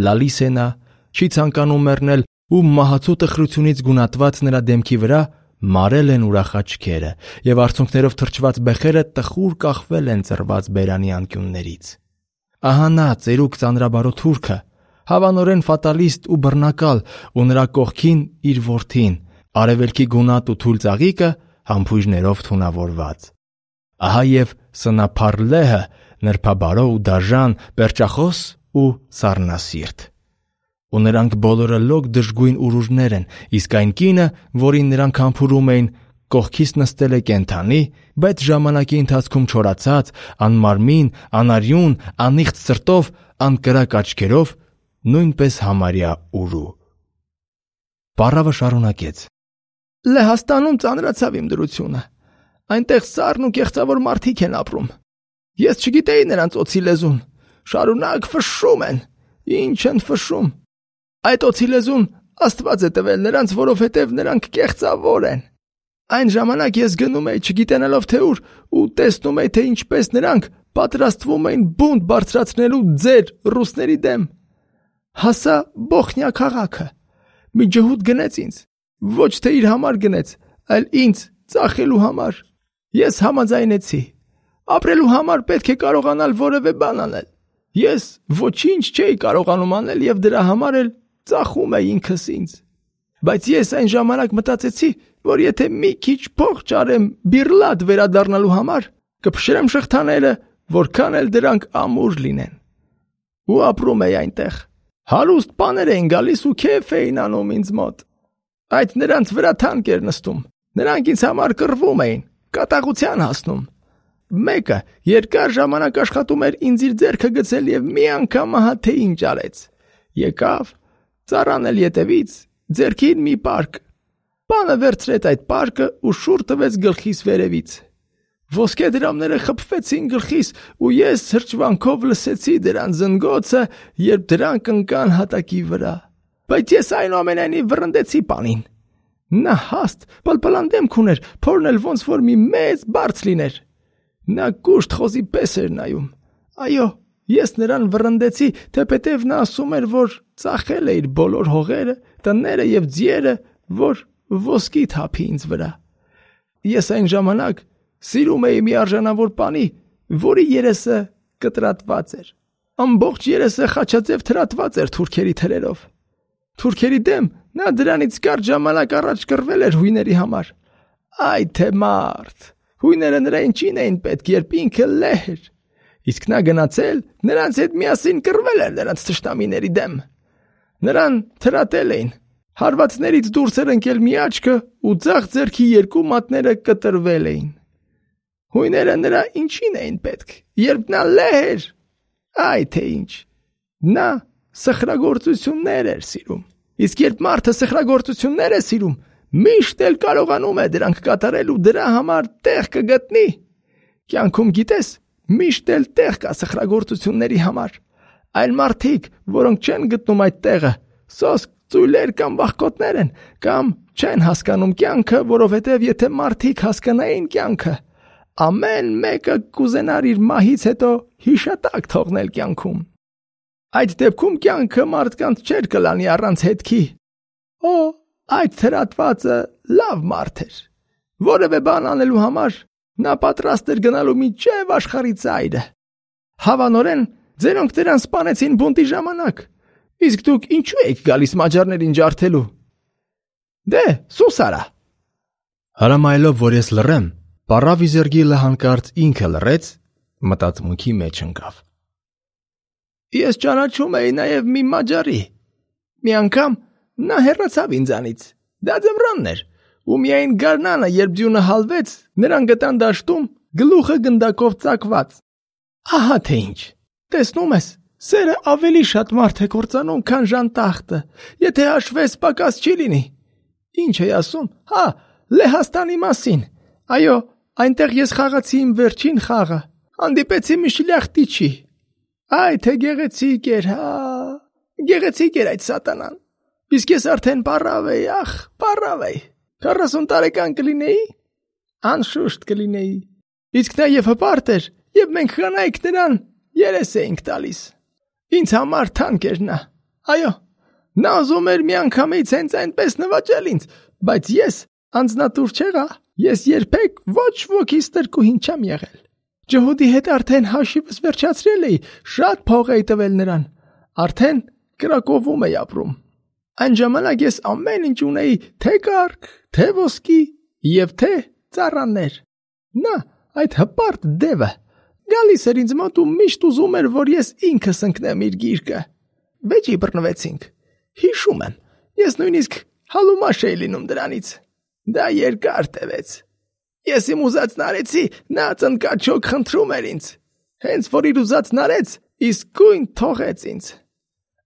[SPEAKER 1] Լալիս է նա, չի ցանկանում մեռնել ու մահացու տխրությունից գունատված նրա դեմքի վրա մարել են ուրախ աչքերը և արցունքներով թրջված բեխերը տխուր կախվել են ծռված բերանի անկյուններից։ Ահա նա ծերուկ ծանրաբարո թուրքը, հավանորեն ֆատալիստ ու բռնակալ, ու նրա կողքին իր որդին, արևելքի գունատ ու թույլ ծաղիկը համբույրներով թունավորված։ Ահա և սնափառ լեհը, նրբաբարո ու դաժան, պերճախոս ու սառնասիրտ։ Ու նրանք բոլորը լոկ դժգույն ուռուժներ են, իսկ այն կինը, որին նրանք համբուրում էին, կողքից նստել է կենդանի, բայց ժամանակի ընթացքում չորացած, անմարմին, անարյուն, անիղծ սրտով, անկրակ աչքերով, նույնպես համարյա ուրու։ Պառավը շարունակեց.
[SPEAKER 2] Լեհաստանում ծանրացավ իմ դրությունը։ Այնտեղ սառն ու կեղծավոր մարդիկ են ապրում։ Ես չգիտեի նրանց օձի լեզուն։ Շարունակ ֆշշում են։ Ինչ են ֆշշում։ Այդ օձի լեզուն Աստված է տվել նրանց, որովհետև նրանք կեղծավոր են։ Այն ժամանակ ես գնում էի չգիտենալով թե ուր ու տեսնում էի, թե ինչպես նրանք պատրաստվում էին բունտ բարձրացնելու ձեր ռուսների դեմ։ Հասա Բոխնյա քաղաքը։ Մի ջհուդ գնեց ինձ, ոչ թե իր համար գնեց, այլ ինձ ծախելու համար։ Ես համաձայնեցի։ Ապրելու համար պետք է կարողանալ որևէ բան անել։ Ես ոչինչ չէի կարողանում անել և դրա համար էլ ծախում էի ինքս ինձ։ Բայց ես այն ժամանակ մտածեցի, որ եթե մի քիչ փող ճարեմ բիրլատ վերադառնալու համար, կփշրեմ շղթաները, որքան էլ դրանք ամուր լինեն։ Ու ապրում էի այնտեղ։ Հարուստ բաներ էին գալիս ու քեֆ էին անում ինձ մոտ։ Այդ նրանց վրա թանկ էր նստում։ Նրանք ինձ համար կռվում էին, կատաղության հասնում։ Մեկը երկար ժամանակ աշխատում էր ինձ իր ձեռքը գցել և մի անգամ ահա թե ինչ արեց։ Եկավ, ծառան էլ ետևից, ձեռքին մի պարկ։ Բանը վերցրեց այդ պարկը ու շուռ տվեց գլխիս վերևից։ Ոսկե դրամները խփվեցին գլխիս ու ես հրճվանքով լսեցի դրան զնգոցը, երբ դրանք ընկան հատակի վրա։ Բայց ես այնուամենայնիվ վռնդեցի պանին։ Նա հաստ, պլպլան դեմք ուներ, փորն էլ ոնց որ մի մեծ բարձ լիներ։ Նա կուշտ խոզի պես էր նայում։ Այո, ես նրան վռնդեցի, թեպետև նա ասում էր, որ ծախել է իր բոլոր հողերը, տները և ձիերը, որ ոսկի թափի ինձ վրա։ Ես այն ժամանակ սիրում էի մի արժանավոր պանի, որի երեսը կտրատված էր։ Ամբողջ երեսը խաչաձև թրատված էր թուրքերի թրերով։ Թուրքերի դեմ նա դրանից կարճ ժամանակ առաջ կռվել էր հույների համար։ Այ թե մարդ, հույները նրա ինչին էին պետք, երբ ինքը լեհ էր։ Իսկ նա գնացել, նրանց հետ միասին կռվել էր նրանց թշնամիների դեմ։ Նրան թրատել էին, հարվածներից դուրս էր ընկել մի աչքը ու ձախ ձեռքի երկու մատները կտրվել էին։ Հույները նրա ինչին էին պետք, երբ նա լեհ էր։ Այ թե ինչ։ Նա սխրագործություններ էր սիրում։ Իսկ երբ մարդը սխրագործություններ է սիրում, միշտ էլ կարողանում է դրանք կատարել ու դրա համար տեղ կգտնի։ Կյանքում գիտես, միշտ էլ տեղ կա սխրագործությունների համար։ Այլ մարդիկ, որոնք չեն գտնում այդ տեղը, սոսկ, ծույլեր կամ վախկոտներ են, կամ չեն հասկանում կյանքը, որովհետև եթե մարդիկ հասկանային կյանքը, ամեն մեկը կուզենար իր մահից հետո հիշատակ թողնել կյանքում։ Այդ դեպքում կյանքը մարդկանց չէր կլանի առանց հետքի։ Օ, այդ թրատվածը լավ մարդ էր։ Որևէ բան անելու համար նա պատրաստ էր գնալու մինչև աշխարհի ծայրը։ Հավանորեն ձերոնք դրան սպանեցին բունտի ժամանակ։ Իսկ դուք ինչու եք գալիս մաջարներին ջարդելու։ Դե, սուս արա։
[SPEAKER 1] Հրամայելով, որ ես լռեմ, Պառավ Իզերգիլը հանկարծ ինքը լռեց, մտածմունքի մեջ ընկավ։
[SPEAKER 2] Ես ճանաչում էի նաև մի մաջարի։ Մի անգամ նա հեռացավ ինձանից։ Դա ձմռանն էր, ու միայն գարնանը, երբ ձյունը հալվեց, նրան գտան դաշտում, գլուխը գնդակով ծակված։ Ահա թե ինչ։ Տեսնում ես, սերը ավելի շատ մարդ է կործանում, քան ժանտախտը։ Եթե հաշվես, պակաս չի լինի։ Ինչ է ասում։ Հա, Լեհաստանի մասին։ Այո, այնտեղ ես խաղացի իմ վերջին խաղը։ Հանդիպեցի մի շլյախտիչի։ Այ թե գեղեցիկ էր, հա։ Գեղեցիկ էր այդ սատանան։ Իսկ ես արդեն պարավ էի, ախ, պարավ էի։ քառասուն տարեկան կլինեի։ Անշուշտ կլինեի։ Իսկ նա եւ հպարտ էր, եւ մենք կանայք նրան երես էինք տալիս։ Ինձ համար թանկ էր նա։ Այո, նա ուզում էր միանգամից հենց այնպես նվաճել ինձ, բայց ես անձնատուր չեղա։ Ես երբեք ոչ ոքիս տրկուհին չեմ եղել։ Ջհուդի հետ արդեն հաշիվս վերջացրել էի, շատ փող էի տվել նրան։ Արդեն Կրակովում էի ապրում։ Այն ժամանակ ես ամեն ինչ ունեի, թե կառք, թե ոսկի եւ թե ծառաներ։ Նա, այդ հպարտ դևը, գալիս էր ինձ մոտ ու միշտ ուզում էր, որ ես ինքս ընկնեմ իր գիրկը։ Վեճի բռնվեցինք։ Հիշում եմ, ես նույնիսկ հալումաշ էի լինում դրանից։ Դա երկար տևեց։ Ես իմ ուզածն արեցի, նա ծնկաչոք խնդրում էր ինձ։ Հենց որ իր ուզածն արեց, իսկույն թողեց ինձ։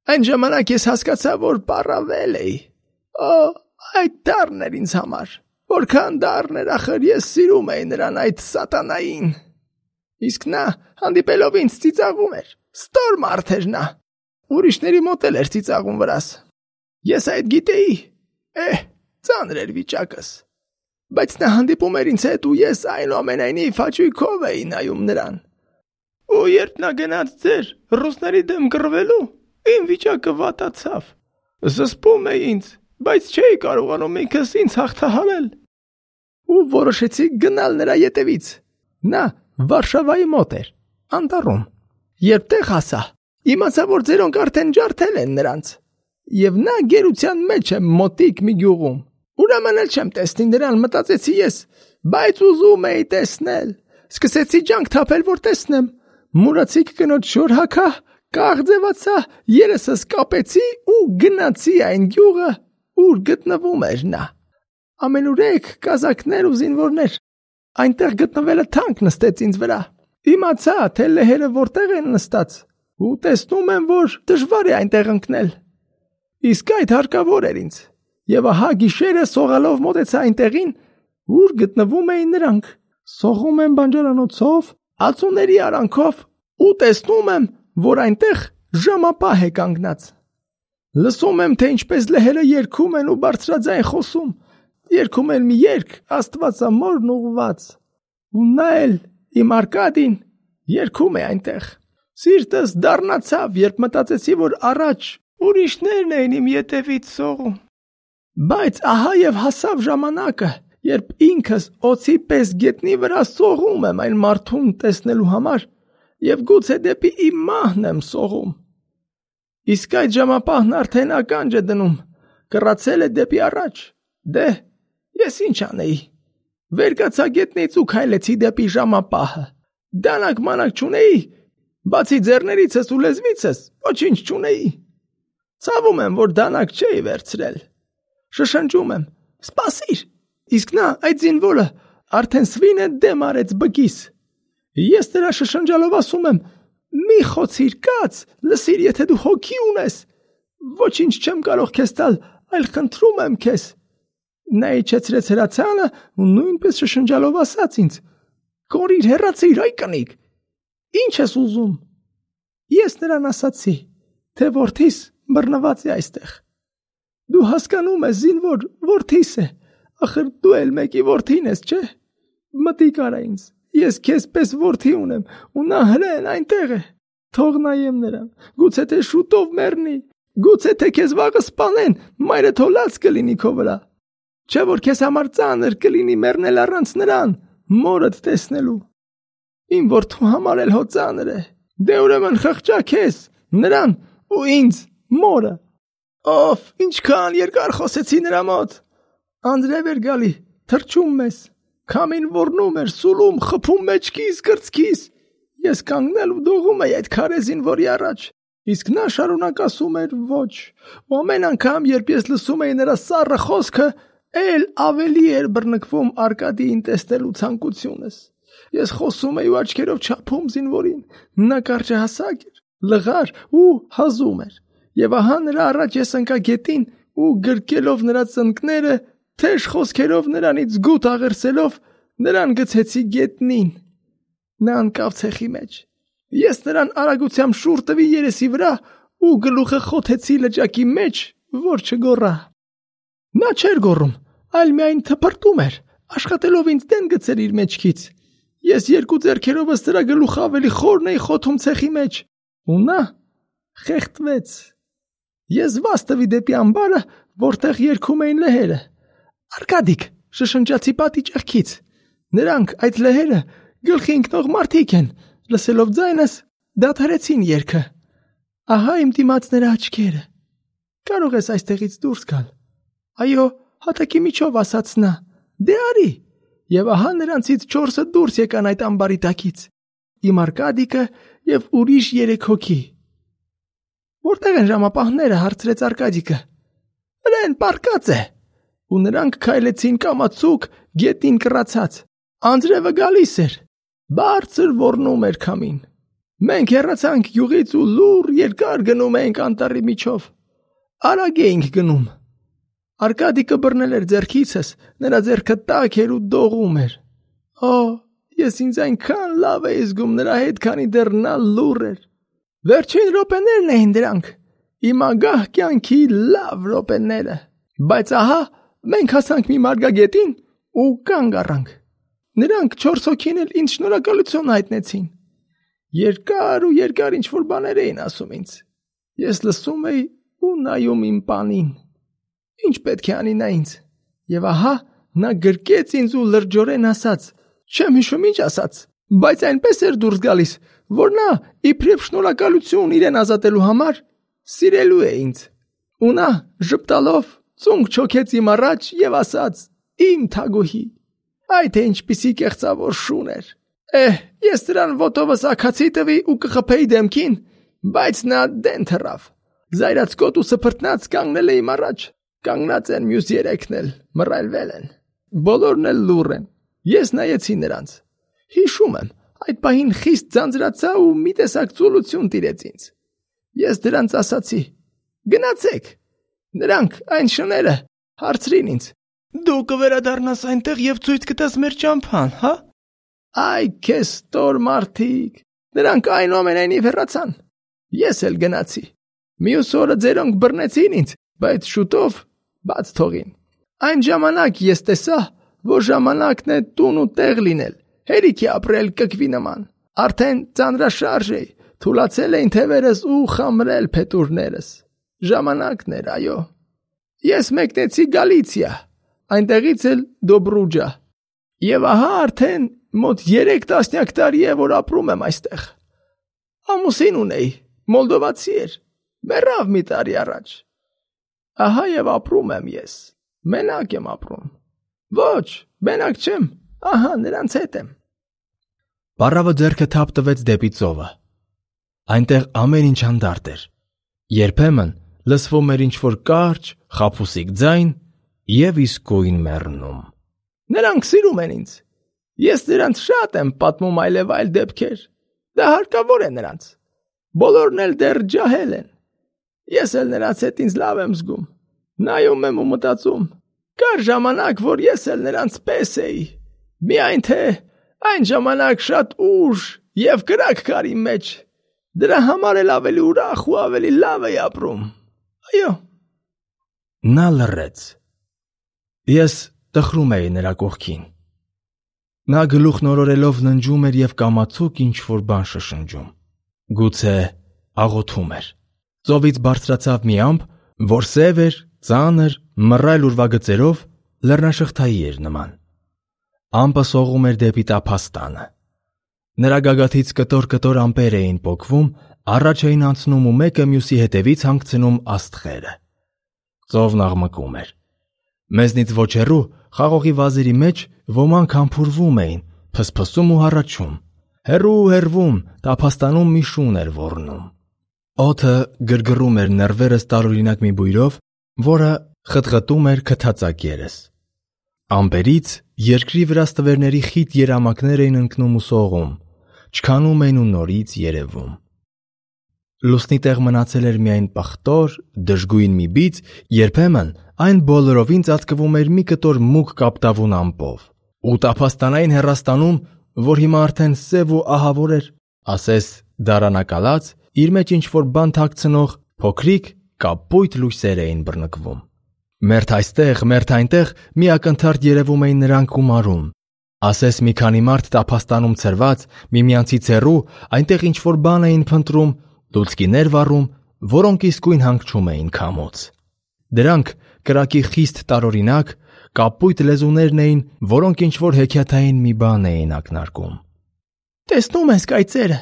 [SPEAKER 2] Այն ժամանակ ես հասկացա, որ պարավել էի։ Օ, այդ դառն էր ինձ համար։ Որքան դառն էր, ախր ես սիրում էի նրան, այդ սատանային։ Իսկ նա հանդիպելով ինձ ծիծաղում էր։ Ստոր մարդ էր նա։ Ուրիշների մոտ էլ էր ծիծաղում վրաս։ Ես այդ գիտեի։ Էհ, ծանր էր վիճակս։ Բայց նա հանդիպում էր ինձ հետ ու ես այնուամենայնիվ հաճույքով էի նայում նրան։ Ու երբ նա գնաց ձեր ռուսների դեմ կռվելու, իմ վիճակը վատացավ։ Զսպում էի ինձ, բայց չէի կարողանում ինքս ինձ հաղթահարել։ Ու որոշեցի գնալ նրա ետևից։ Նա Վարշավայի մոտ էր, անտառում։ Երբ տեղ հասա, իմացա, որ ձերոնք արդեն ջարդել են նրանց։ Եվ նա գերության մեջ է մոտիկ մի գյուղում։ Ուրեմն էլ չեմ տեսնի նրան, մտածեցի ես, բայց ուզում էի տեսնել։ Սկսեցի ջանք թափել, որ տեսնեմ։ Մուրացիկ կնոջ շոր հագա, կաղձևացա, երեսս կապեցի ու գնացի այն գյուղը, ուր գտնվում էր նա։ Ամենուրեք կազակներ ու զինվորներ։ Այնտեղ գտնվելը թանկ նստեց ինձ վրա։ Իմացա, թե լեհերը որտեղ են նստած, ու տեսնում եմ, որ դժվար է այնտեղ ընկնել։ Իսկ այդ հարկավոր էր ինձ։ Եվ ահա գիշերը սողալով մոտեցա այնտեղին, ուր գտնվում էին նրանք։ Սողում եմ բանջարանոցով, ածուների արանքով ու տեսնում եմ, որ այնտեղ ժամապահ է կանգնած։ Լսում եմ, թե ինչպես լեհերը երգում են ու բարձրաձայն խոսում։ Երգում են մի երգ Աստվածամորն ուղված։ Ու նա էլ իմ Արկադին երգում է այնտեղ։ Սիրտս դառնացավ, երբ մտածեցի, որ առաջ ուրիշներն էին իմ ետևից սողում։ Բայց ահա եւ հասավ ժամանակը, երբ ինքս օծի պես գետնի վրա սողում եմ այն մարդուն տեսնելու համար եւ գուցե դեպի իմ մահն եմ սողում։ Իսկ այդ ժամապահն արդեն ականջ է դնում, կռացել է դեպի առաջ։ Դե, ես ինչ անեի։ Վեր կացա գետնից ու քայլեցի դեպի ժամապահը։ Դանակ մանակ չունեի, բացի ձեռներիցս ու լեզվիցս ոչինչ չունեի։ Ցավում եմ, որ դանակ չէի վերցրել։ Շշնջում եմ. «Սպասիր»։ Իսկ նա, այդ զինվորը, արդեն սվինը դեմ արեց բկիս։ Ես նրա շշնջալով ասում եմ. «Մի խոցիր կաց, լսիր, եթե դու հոգի ունես։ Ոչինչ չեմ կարող քեզ տալ, այլ խնդրում եմ քեզ»։ Նա իջեցրեց հրացանը ու նույնպես շշնջալով ասաց ինձ. «Կորիր, հեռացիր, այ կնիկ։ Ինչ ես ուզում»։ Ես նրան ասացի, թե որդիս բռնված է այստեղ։ Դու հասկանում ես, զինվոր, որդիս է, ախր դու էլ մեկի որդին ես, չէ՞։ Մտիկ արա ինձ, ես քեզ պես որդի ունեմ, ու նա հրեն այնտեղ է։ Թող նայեմ նրան, գուցե թե շուտով մեռնի, գուցե թե քեզ վաղը սպանեն, մայրդ հոլած կլինի քո վրա։ Չէ՞ որ քեզ համար ծանր կլինի մեռնել առանց նրան, մորդ տեսնելու։ Իմ որդու համար էլ հո ծանր է։ Դե ուրեմն խղճա քեզ, նրան ու ինձ, մորը։ Ով, ինչքան երկար խոսեցի նրա մոտ։ Անձրև էր գալի, թրջում մեզ, քամին ոռնում էր, սուլում, խփում մեջքիս, կրծքիս։ Ես կանգնել ու դողում էի այդ քարեզին, որի առաջ։ Իսկ նա շարունակ ասում էր ոչ։ Ու ամեն անգամ, երբ ես լսում էի նրա սառը խոսքը, էլ ավելի էր բռնկվում Արկադիին տեսնելու ցանկությունս։ Ես խոսում էի ու աչքերով չափում զինվորին։ Նա կարճահասակ էր, լղար ու հազում էր։ Եվ ահա նրա առաջ ես ընկա գետին ու գրկելով նրա ծնկները, թեժ խոսքերով նրանից գութ աղերսելով, նրան գցեցի գետնին։ Նա ընկավ ցեխի մեջ։ Ես նրան արագությամբ շուռ տվի երեսի վրա ու գլուխը խոթեցի լճակի մեջ որ չգոռա։ Նա չէր գոռում, այլ միայն թփրտում էր, աշխատելով ինձ դեն գցել իր մեջքից։ Ես երկու ձեռքերովս դրա գլուխը ավելի խորն էի խոթում ցեխի մեջ, ու նա խեղդվեց։ Ես վաս տվի դեպի ամբարը, որտեղ երգում էին լեհերը։ Արկադիկ, շշնջացի պատի ճեղքից։ Նրանք այդ լեհերը գլխի ընկնող մարդիկ են, լսելով ձայնս դադարեցին երգը։ Ահա իմ դիմաց նրա աչքերը։ Կարող ես այստեղից դուրս գալ։ Այո, հատակի միջով ասաց նա։ Դե արի։ Եվ ահա նրանցից չորսը դուրս եկան այդ ամբարի տակից։ Իմ Արկադիկը եւ ուրիշ երեք հոգի։ Որտեղ են ժամապահները, հարցրեց Արկադիկը։ Նրան պարկած է։ Ու նրանք քայլեցին կամացուկ գետին կռացած։ Անձրևը գալիս էր։ Բարձր ոռնում էր քամին։ Մենք հեռացանք յուղից ու լուր երկար գնում էինք անտառի միջով։ Արագ էինք գնում։ Արկադիկը բռնել էր ձեռքիցս, նրա ձեռքը տաք էր ու դողում էր։ Օ, ես ինձ այնքան լավ էի զգում նրա հետ, քանի դեռ նա լուռ էր։ Վերջին րոպեներն էին դրանք։ Իմ ագահ կյանքի լավ րոպեները։ Բայց ահա մենք հասանք մի մարգագետին ու կանգ առանք։ Նրանք չորս հոգին էլ ինձ շնորհակալություն հայտնեցին։ Երկար ու երկար ինչ-որ բաներ էին ասում ինձ։ Ես լսում էի ու նայում իմ պանին։ Ինչ պետք է անի նա ինձ։ Եվ ահա նա գրկեց ինձ ու լրջորեն ասաց. Չեմ հիշում ինչ ասաց, բայց այնպես էր դուրս գալիս, որ նա իբրև շնորհակալություն իրեն ազատելու համար սիրելու է ինձ։ Ու նա ժպտալով ծունկ չոքեց իմ առաջ եւ ասաց. Իմ թագուհի, այ թե ինչպիսի կեղծավոր շուն էր։ Էհ, ես դրան ոտովս ակացի տվի ու կխփեի դեմքին, բայց նա դեն թռավ։ Զայրացկոտ ու սփռտնած կանգնել է իմ առաջ։ Կանգնած են մյուս երեքն էլ, մռայլվել են։ Բոլորն էլ լուռ են։ Ես նայեցի նրանց։ Հիշում եմ, այդ պահին խիստ ձանձրացա ու մի տեսակ ծուլություն տիրեց ինձ։ Ես դրանց ասացի. Գնացեք։ Նրանք այն շները հարցրին ինձ. Դու կվերադառնաս այնտեղ եւ ցույց կտաս մեր ճամփան, հա? Այ քեզ տոր մարդիկ։ Նրանք այնուամենայնիվ հեռացան։ Ես էլ գնացի։ Մյուս օրը ձերոնք բռնեցին ինձ, բայց շուտով բաց թողին։ Այն ժամանակ ես տեսա, որ ժամանակն է տուն ու տեղ լինել, հերիքի ապրել կկվի նման։ Արդեն ծանրաշարժ էի, թուլացել էին թևերս ու խամրել փետուրներս։ Ժամանակն էր, այո։ Ես մեկնեցի Գալիցիա, այնտեղից էլ Դոբրուջա։ Եվ ահա արդեն մոտ երեք տասնյակ տարի է, որ ապրում եմ այստեղ։ Ամուսին ունեի, մոլդովացի էր, մեռավ մի տարի առաջ։ Ահա եւ ապրում եմ ես, մենակ եմ ապրում։ Ոչ, մենակ չեմ, ահա նրանց հետ եմ։
[SPEAKER 1] Պարավը ձեռքը թափ տվեց դեպի ծովը։ Այնտեղ ամեն ինչ հանդարտ էր։ Երբեմն լսվում էր ինչ-որ կարճ, խաբուսիկ ձայն եւ իսկույն մեռնում։
[SPEAKER 2] Նրանք սիրում են ինձ։ Ես նրանց շատ եմ պատմում այլև այլ դեպքեր։ Դա հարկավոր է նրանց։ Բոլորն էլ դեռ ջահել են։ Ես էլ նրանց հետ ինձ լավ եմ զգում։ Նայում եմ ու մտածում. կար ժամանակ, որ ես էլ նրանց պես էի։ Միայն թե այն ժամանակ շատ ուժ եւ կրակ կար իմ մեջ։ Դրա համար էլ ավելի ուրախ ու ավելի լավ էի ապրում։ Այո։
[SPEAKER 1] Նա լռեց։ Ես տխրում էի նրա կողքին։ Նա գլուխն օրորելով ննջում էր եւ կամացուկ ինչ-որ բան շշնջում։ Գուցե աղոթում էր։ Ծովից բարձրացավ մի ամպ, որ սև էր, ծանր, մռայլ ուրվագծերով լեռնաշղթայի էր նման։ Ամպը սողում էր դեպի տափաստանը։ Նրա գագաթից կտոր-կտոր ամպեր էին պոկվում, առաջ էին անցնում ու մեկը մյուսի հետևից հանգցնում աստղերը։ Ծովն աղմկում էր։ Մեզնից ոչ հեռու խաղողի վազերի մեջ ոմանք համբուրվում էին, փսփսում ու հառաչում։ Հեռու հեռվում տափաստանում մի շուն էր ոռնում։ Օդը գրգռում էր նեռվերս տարօրինակ մի բույրով, որը խտղտում էր քթածակ երես։ Ամպերից երկրի վրա ստվերների խիտ երամակներ էին ընկնում ու սողում, չքանում էին ու նորից երևում։ Լուսնի տեղ մնացել էր միայն պղտոր, դժգույն մի բիծ, երբեմն այն բոլորովին ծածկվում էր մի կտոր մուգ կապտավուն ամպով։ Ու տափաստանային հեռաստանում, որ հիմա արդեն սև ու ահավոր էր, ասես դարանակալած, իր մեջ ինչ-որ բան թաքցնող փոքրիկ, կապույտ լույսեր էին բռնկվում։ Մերթ այստեղ, մերթ այնտեղ մի ակնթարթ երևում էին նրանք ու մարում։ Ասես մի քանի մարդ տափաստանում ցրված, միմյանցից հեռու, այնտեղ ինչ-որ բան էին փնտրում, լուցկիներ վառում, որոնք իսկույն հանգչում էին քամոց։ Դրանք կրակի խիստ տարօրինակ, կապույտ լեզուներն էին, որոնք ինչ-որ հեքիաթային մի բան էին ակնարկում։
[SPEAKER 2] «Տեսնում ես կայծերը»,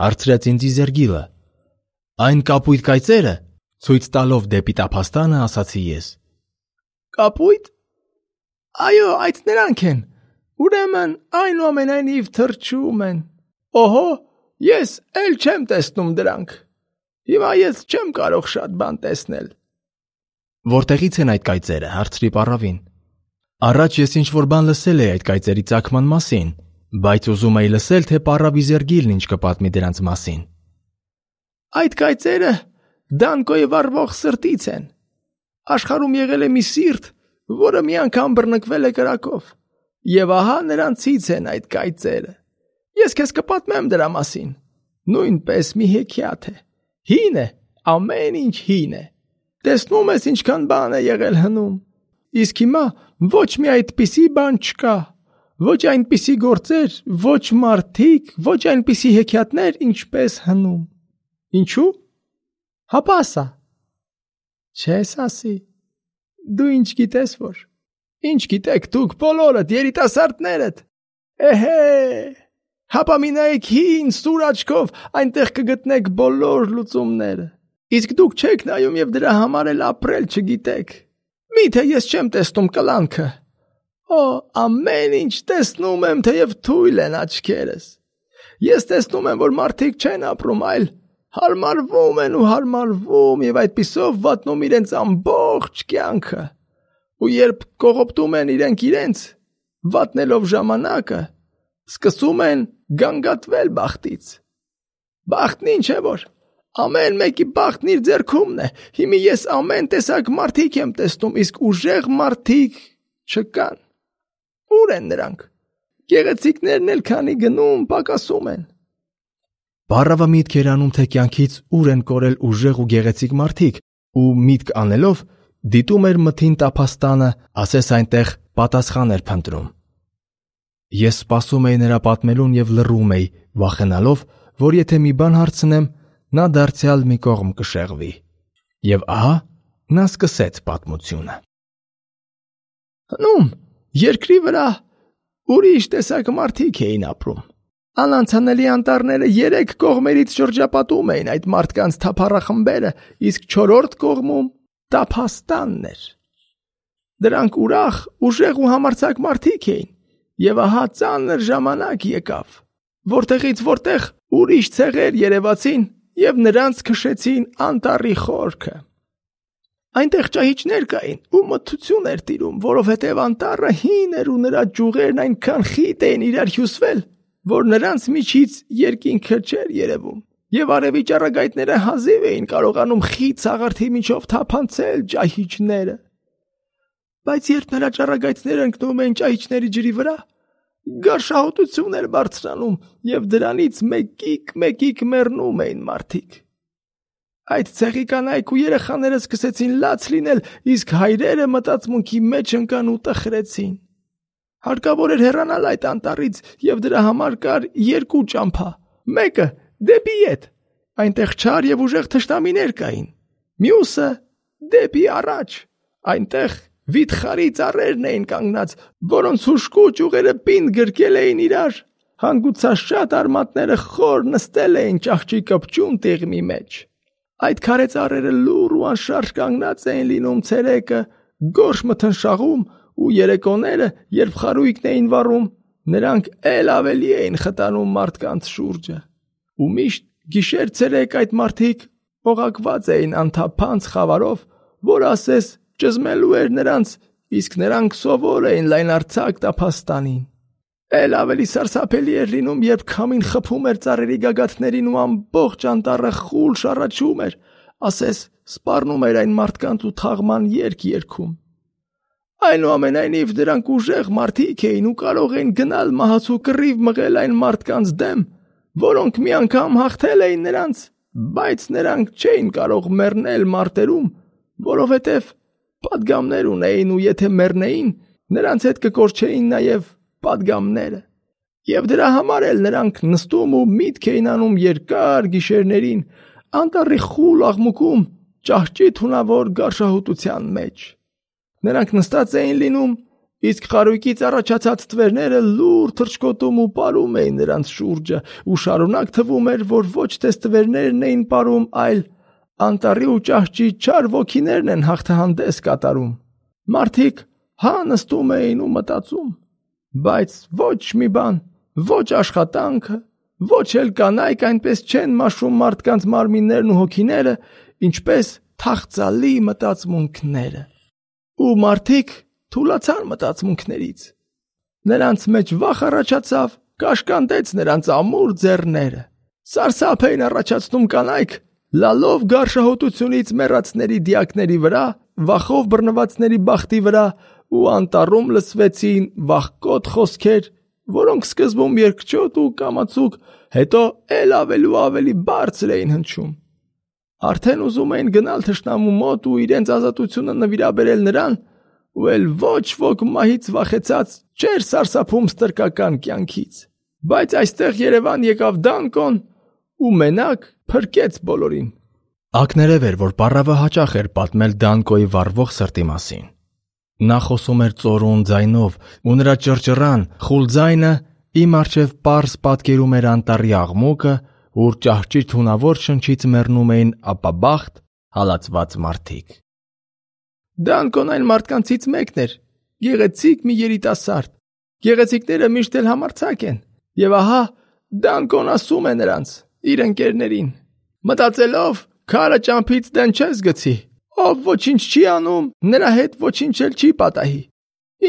[SPEAKER 1] հարցրեց ինձ Իզերգիլը։ «Այն կապույտ կայծերը», ցույց տալով դեպի տափաստանը, ասացի ես։
[SPEAKER 2] «Կապույտ։ Այո, այդ նրանք են։ Ուրեմն այնուամենայնիվ թրջում են։ Օհո, ես էլ չեմ տեսնում դրանք։ Հիմա ես չեմ կարող շատ բան տեսնել»։
[SPEAKER 1] «Որտեղից են այդ կայծերը», հարցրի պառավին։ Առաջ ես ինչ-որ բան լսել էի այդ կայծերի ծագման մասին, բայց ուզում էի լսել, թե պառավ Իզերգիլն ինչ կպատմի դրանց մասին։
[SPEAKER 2] «Այդ կայծերը Դանկոյի վառվող սրտից են։ Աշխարհում եղել է մի սիրտ, որը մի անգամ բռնկվել է կրակով, եւ ահա նրանցից են այդ կայծերը։ Ես քեզ կպատմեմ դրա մասին։ Նույնպես մի հեքիաթ է։ Հին է, ամեն ինչ հին է։ Տեսնում ես ինչքան բան է եղել հնում։ Իսկ հիմա ոչ մի այդպիսի բան չկա։ Ոչ այնպիսի գործեր, ոչ մարդիկ, ոչ այնպիսի հեքիաթներ, ինչպես հնում։ Ինչու՞։ Հապա ասա։ Չես ասի։ Դու ինչ գիտես որ։ Ինչ գիտեք դուք բոլորդ երիտասարդներդ։ Էհե։ Հապա մի նայեք հին սուր աչքով, այնտեղ կգտնեք բոլոր լուծումները։ Իսկ դուք չեք նայում եւ դրա համար էլ ապրել չգիտեք։ Միթե ես չեմ տեսնում կլանքը։ Օ, ամեն ինչ տեսնում եմ, թեև թույլ են աչքերս։ Ես տեսնում եմ, որ մարդիկ չեն ապրում, այլ հարմարվում են ու հարմարվում եւ այդպիսով վատնում իրենց ամբողջ կյանքը։ Ու երբ կողոպտում են իրենք իրենց, վատնելով ժամանակը, սկսում են գանգատվել բախտից։ Բախտն ինչ է որ։ Ամեն մեկի բախտն իր ձեռքումն է։ Հիմա ես ամեն տեսակ մարդիկ եմ տեսնում, իսկ ուժեղ մարդիկ չկան։ Ուր են նրանք։ Գեղեցիկներն էլ քանի գնում պակասում են։
[SPEAKER 1] Պառավը միտք էր անում, թե կյանքից ուր են կորել ուժեղ ու գեղեցիկ մարդիկ, ու միտք անելով դիտում էր մթին տափաստանը, ասես այնտեղ պատասխան էր փնտրում։ Ես սպասում էի նրա պատմելուն եւ լռում էի, վախենալով, որ եթե մի բան հարցնեմ, նա դարձյալ մի կողմ կշեղվի։ Եվ ահա նա սկսեց պատմությունը։
[SPEAKER 2] Հնում, երկրի վրա ուրիշ տեսակ մարդիկ էին ապրում։ Անանցանելի անտառները երեք կողմերից շրջապատում էին այդ մարդկանց թափառախմբերը, իսկ չորրորդ կողմում տափաստանն էր։ Դրանք ուրախ, ուժեղ ու համարձակ մարդիկ էին, եւ ահա ծանր ժամանակ եկավ, որտեղից որտեղ ուրիշ ցեղեր երևացին եւ նրանց քշեցին անտառի խորքը։ Այնտեղ ճահիճներ կային ու մթություն էր տիրում, որովհետև անտառը հին էր ու նրա ճյուղերն այնքան խիտ էին իրար հյուսվել, որ նրանց միջից երկինքը չէր երևում, եւ արևի ճառագայթները հազիվ էին կարողանում խիտ սաղարթի միջով թափանցել ճահիճները։ Բայց երբ նրա ճառագայթները ընկնում էին ճահիճների ջրի վրա, գարշահոտություն էր բարձրանում եւ դրանից մեկիկ-մեկիկ մեռնում էին մարդիկ։ Այդ ցեղի կանայք ու երեխաները սկսեցին լաց լինել, իսկ հայրերը մտածմունքի մեջ ընկան ու տխրեցին։ Հարկավոր էր հեռանալ այդ անտառից եւ դրա համար կար երկու ճամփա։ Մեկը դեպի ետ, այնտեղ չար եւ ուժեղ թշնամիներ կային։ Մյուսը դեպի առաջ, այնտեղ վիթխարի ծառերն էին կանգնած, որոնց հուշկու ճյուղերը պինդ գրկել էին իրար, հանգուցաշատ արմատները խոր նստել էին ճահճի կպչուն տեղմի մեջ։ Այդ քարե ծառերը լուռ ու անշարժ կանգնած էին լինում ցերեկը, գորշ մթնշաղում, ու երեկոները, երբ խարույկն էին վառում, նրանք էլ ավելի էին խտանում մարդկանց շուրջը։ Ու միշտ գիշեր ցերեկ այդ մարդիկ օղակված էին անթափանց խավարով, որ ասես ճզմելու էր նրանց, իսկ նրանք սովոր էին լայնարձակ տափաստանին։ Էլ ավելի սարսափելի էր լինում, երբ քամին խփում էր ծառերի գագաթներին ու ամբողջ անտառը խուլ շառաչում էր, ասես սպառնում էր այն մարդկանց ու թաղման երգ երգում։ Այնուամենայնիվ դրանք ուժեղ մարդիկ էին ու կարող էին գնալ մահացու կռիվ մղել այն մարդկանց դեմ, որոնք մի անգամ հաղթել էին նրանց բայց նրանք չէին կարող մեռնել մարտերում, որովհետև պատգամներ ունեին ու եթե մեռնեին, նրանց հետ կկորչեին նաև պատգամները։ Եվ դրա համար էլ նրանք նստում ու միտք էին անում երկար գիշերներին, անտառի խուլ աղմուկում, ճահճի թունավոր գարշահոտության մեջ։ Նրանք նստած էին լինում, իսկ խարույկից առաջացած թվերները լուր թռչկոտում ու պարում էին նրանց շուրջը, ու շարունակ թվում էր, որ ոչ թե ստվերներն էին պարում, այլ անտառի ու ճահճի չար ոգիներն են հաղթահանդես կատարում։ Մարդիկ հա նստում էին ու մտածում, բայց ոչ մի բան, ոչ աշխատանքը, ոչ էլ կանայք այնպես չեն մաշում մարդկանց մարմիններն ու հոգիները, ինչպես թախծալի մտածմունքները։ Ու մարդիկ թուլացան մտածմունքներից։ Նրանց մեջ վախ առաջացավ, կաշկանդեց նրանց ամուր ձեռները։ Սարսափ էին առաջացնում կանայք, լալով գարշահոտությունից մեռածների դիակների վրա, վախով բռնվածների բախտի վրա, ու անտառում լսվեցին վախկոտ խոսքեր, որոնք սկզբում երկչոտ ու կամացուկ, հետո էլ ավելի ու ավելի բարձր էին հնչում։ Արդեն ուզում էին գնալ թշնամու մոտ ու իրենց ազատությունը նվիրաբերել նրան, ու էլ ոչ ոք մահից վախեցած չէր սարսափում ստրկական կյանքից։ Բայց այստեղ Երևան եկավ Դանկոն ու մենակ փրկեց բոլորին։
[SPEAKER 1] Ակներև էր, որ Պառավը հաճախ էր պատմել Դանկոյի վառվող սրտի մասին։ Նա խոսում էր ծորուն ձայնով, ու նրա ճռճռան, խուլ ձայնը իմ առջև պարզ պատկերում էր անտառի աղմուկը, ուր ճահճի թունավոր շնչից մեռնում էին ապաբախտ, հալածված մարդիկ։
[SPEAKER 2] Դանկոն այն մարդկանցից մեկն էր, գեղեցիկ մի երիտասարդ։ Գեղեցիկները միշտ էլ համարձակ են, եւ ահա Դանկոն ասում է նրանց, իր ընկերներին. մտածելով, քարը ճամփից դեն չես գցի, ով ոչինչ չի անում, նրա հետ ոչինչ էլ չի պատահի։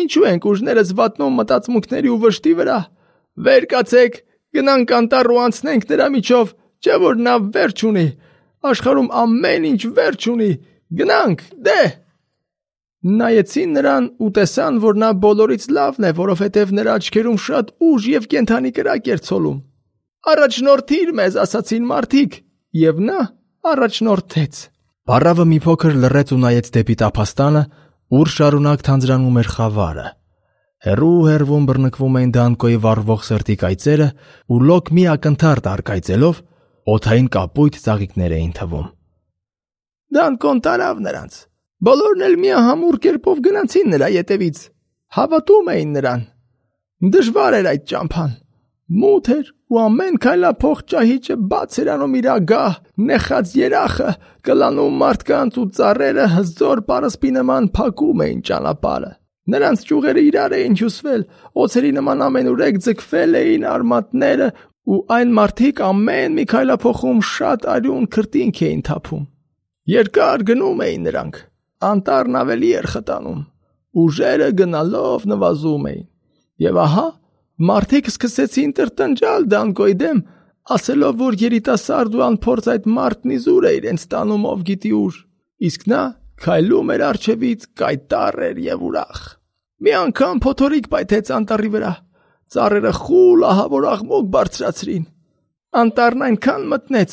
[SPEAKER 2] Ինչու ենք ուժներս վատնում մտածմունքների ու վշտի վրա։ Վեր կացեք, գնանք անտառ ու անցնենք նրա միջով, չէ որ նա վերջ ունի, աշխարհում ամեն ինչ վերջ ունի, գնանք, դե։ Նայեցին նրան ու տեսան, որ նա բոլորից լավն է, որովհետև նրա աչքերում շատ ուժ եւ կենդանի կրակ էր ցոլում։ Առաջնորդիր մեզ, ասացին մարդիկ, եւ նա առաջնորդեց։
[SPEAKER 1] Պառավը մի փոքր լռեց ու նայեց դեպի տափաստանը, ուր շարունակ թանձրանում էր խավարը։ Հեռու հեռվում բռնկվում էին Դանկոյի վառվող սրտի կայծերը ու լոկ մի ակնթարթ արկայծելով օդային կապույտ ծաղիկներ էին թվում։
[SPEAKER 2] Դանկոն տարավ նրանց։ Բոլորն էլ միահամուռ կերպով գնացին նրա ետևից, հավատում էին նրան։ Դժվար էր այդ ճամփան։ Մութ էր ու ամեն քայլափող ճահիճը բաց էր անում իր ագահ, նեխած երախը, կլանում մարդկանց ու ծառերը հզոր պարսպի նման փակում էին ճանապարհը։ Նրանց ճյուղերը իրար էին հյուսվել, օձերի նման ամենուրեք ձգվել էին արմատները ու այն մարդիկ ամեն մի քայլափոխում շատ արյուն քրտինք էին թափում։ Երկար գնում էին նրանք, անտառն ավելի էր խտանում, ուժերը գնալով նվազում էին։ Եվ ահա մարդիկ սկսեցին տրտնջալ Դանկոյի դեմ, ասելով, որ երիտասարդ ու անփորձ այդ մարդն իզուր է իրենց տանում ով գիտի ուր, իսկ նա քայլում էր առջևից կայտառ էր եւ ուրախ։ Մի անգամ փոթորիկ պայթեց անտառի վրա, ծառերը խուլ ահավոր աղմուկ բարձրացրին։ Անտառն այնքան մտնեց,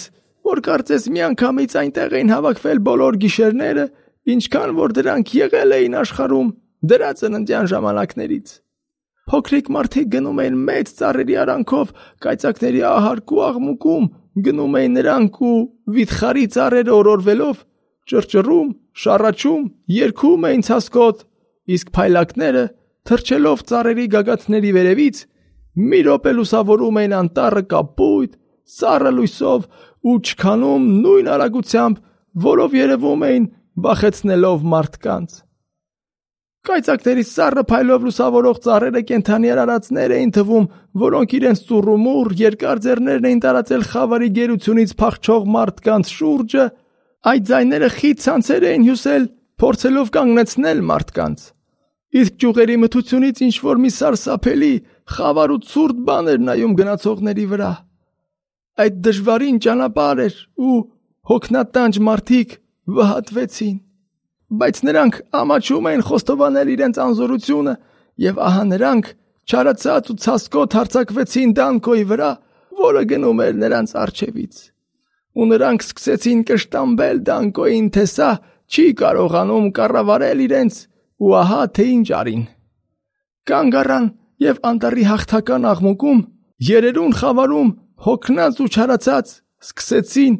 [SPEAKER 2] որ կարծես միանգամից այնտեղ էին հավաքվել բոլոր գիշերները, ինչքան որ դրանք եղել էին աշխարհում դրա ծննդյան ժամանակներից։ Փոքրիկ մարդիկ գնում էին մեծ ծառերի արանքով, կայծակների ահարկ ու աղմուկում, գնում էին նրանք ու վիթխարի ծառերը օրորվելով, ճռճռում, շառաչում, երգում էին ցասկոտ, իսկ փայլակները, թռչելով ծառերի գագաթների վերևից, մի րոպե լուսավորում էին անտառը կապույտ, սառը լույսով ու չքանում նույն արագությամբ, որով երևում էին վախեցնելով մարդկանց։ Կայծակների սառը փայլով լուսավորող ծառերը կենդանի արարածներ էին թվում, որոնք իրենց ծուռումուռ երկար ձեռներն էին տարածել խավարի գերությունից փախչող մարդկանց շուրջը, այդ ձայները խիտ ցանցեր էին հյուսել, փորձելով կանգնեցնել մարդկանց։ Իսկ ճյուղերի մթությունից ինչ-որ մի սարսափելի, խավար ու ցուրտ բան էր նայում գնացողների վրա։ Այդ դժվարին ճանապարհ էր ու հոգնատանջ մարդիկ վհատվեցին։ Բայց նրանք ամաչում էին խոստովանել իրենց անզորությունը, եւ ահա նրանք չարացած ու ցասկոտ հարձակվեցին Դանկոյի վրա, որը գնում էր նրանց առջևից։ ու նրանք սկսեցին կշտամբել Դանկոյին, թե սա չի կարողանում կառավարել իրենց, ու ահա թե ինչ արին։ Կանգ առան և անտառի հաղթական աղմուկում, երերուն խավարում, հոգնած ու չարացած, սկսեցին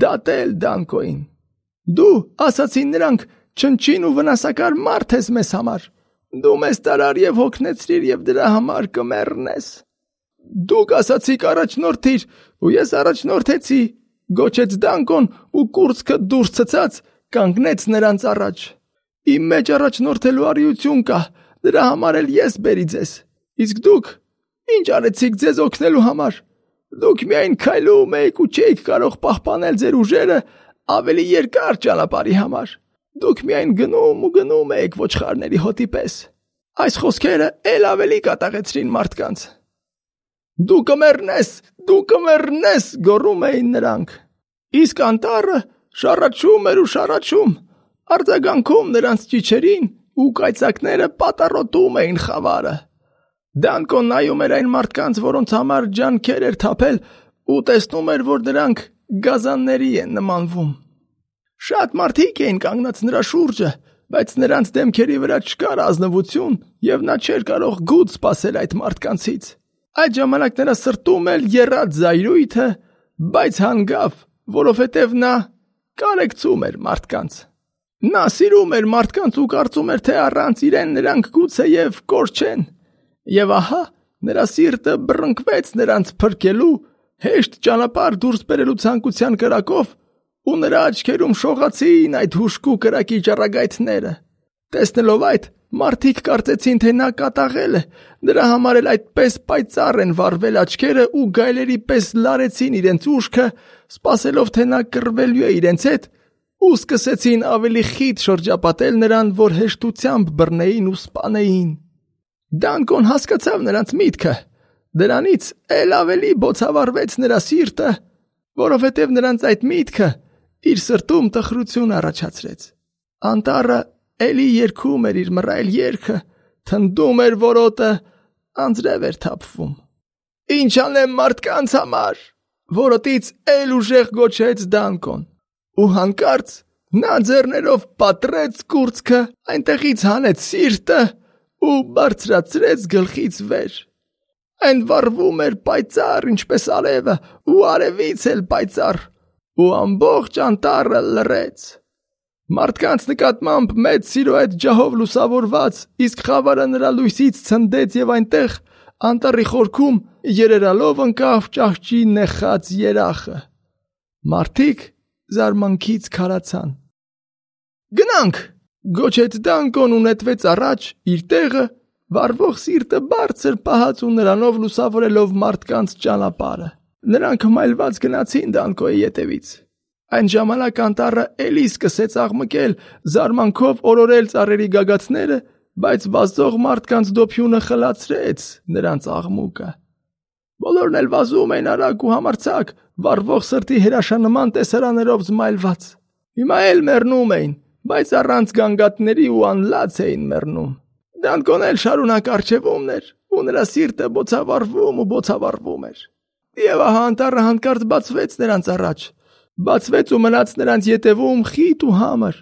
[SPEAKER 2] դատել Դանկոյին։ Դու, ասացին նրանք, չնչին ու վնասակար մարդ ես մեզ համար։ Դու մեզ տարար և հոգնեցրիր և դրա համար կմեռնես։ Դուք ասացիք առաջնորդիր, ու ես առաջնորդեցի, գոչեց Դանկոն ու կուրծքը դուրս ցցած կանգնեց նրանց առաջ։ Իմ մեջ առաջնորդելու արիություն կա, դրա համար էլ ես բերի ձեզ։ Իսկ դուք ինչ արեցիք ձեզ օգնելու համար։ Դուք միայն քայլում եք ու չէիք կարող պահպանել ձեր ուժերը ավելի երկար ճանապարհի համար։ Դուք միայն գնում ու գնում եք ոչխարների հոտի պես։ Այս խոսքերը էլ ավելի կատաղեցրին մարդկանց։ Դու կմեռնես, դու կմեռնես, գոռում էին նրանք։ Իսկ անտառը շառաչում էր ու շառաչում, արձագանքում նրանց ճիչերին ու կայծակները պատառոտում էին խավարը։ Դանկոն նայում էր այն մարդկանց, որոնց համար ջանքեր էր թափել, ու տեսնում էր, որ նրանք գազանների են նմանվում։ Շատ մարդիկ էին կանգնած նրա շուրջը, բայց նրանց դեմքերի վրա չկար ազնվություն, և նա չէր կարող գութ սպասել այդ մարդկանցից։ Այդ ժամանակ նրա սրտում էլ եռաց զայրույթը, բայց հանգավ, որովհետև նա կարեկցում էր մարդկանց։ Նա սիրում էր մարդկանց ու կարծում էր, թե առանց իրեն նրանք գուցեև կորչեն։ Եվ ահա նրա սիրտը բռնկվեց նրանց փրկելու, հեշտ ճանապարհ դուրս բերելու ցանկության կրակով, ու նրա աչքերում շողացին այդ հուժկու կրակի ճառագայթները։ Տեսնելով այդ, մարդիկ կարծեցին, թե նա կատաղել է, դրա համար էլ այդպես պայծառ են վառվել աչքերը ու գայլերի պես լարեցին իրենց ուշքը, սպասելով, թե նա կռվելու է իրենց հետ, ու սկսեցին ավելի խիտ շրջապատել նրան, որ հեշտությամբ բռնեին ու սպանեին։ Դանկոն հասկացավ նրանց միտքը, դրանից էլ ավելի բոցավառվեց նրա սիրտը, որովհետև նրանց այդ միտքը իր սրտում տխրություն առաջացրեց։ Անտառը էլի երգում էր իր մռայլ երգը, թնդում էր որոտը, անձրև էր թափվում։ Ինչ անեմ մարդկանց համար, որոտից էլ ուժեղ գոչեց Դանկոն, ու հանկարծ նա ձեռներով պատռեց կուրծքը, այնտեղից հանեց սիրտը ու բարձրացրեց գլխից վեր։ Այն վառվում էր պայծառ, ինչպես արևը, ու արևից էլ պայծառ, ու ամբողջ անտառը լռեց։ Մարդկանց նկատմամբ մեծ սիրո այդ ջահով լուսավորված, իսկ խավարը նրա լույսից ցնդեց և այնտեղ, անտառի խորքում, երերալով ընկավ ճահճի նեխած երախը։ Մարդիկ զարմանքից քարացան։ Գնանք, գոչեց Դանկոն ու նետվեց առաջ իր տեղը, վառվող սիրտը բարձր պահած ու նրանով լուսավորելով մարդկանց ճանապարհը։ Նրանք հմայլված գնացին Դանկոյի ետևից։ Այն ժամանակ անտառը էլի սկսեց աղմկել, զարմանքով օրորել ծառերի գագաթները, բայց վազող մարդկանց դոփյունը խլացրեց նրանց աղմուկը։ Բոլորն էլ վազում էին արագ ու համարձակ, վառվող սրտի հրաշանման տեսարաններով զմայլված։ Հիմա էլ մեռնում էին, բայց առանց գանգատների ու անլաց էին մեռնում։ Դանկոն էլ շարունակ առջևումն էր, ու նրա սիրտը բոցավառվում ու բոցավառվում էր։ Եվ ահա անտառը հանկարծ բացվեց նրանց առաջ, բացվեց ու մնաց նրանց ետևում խիտ ու համր։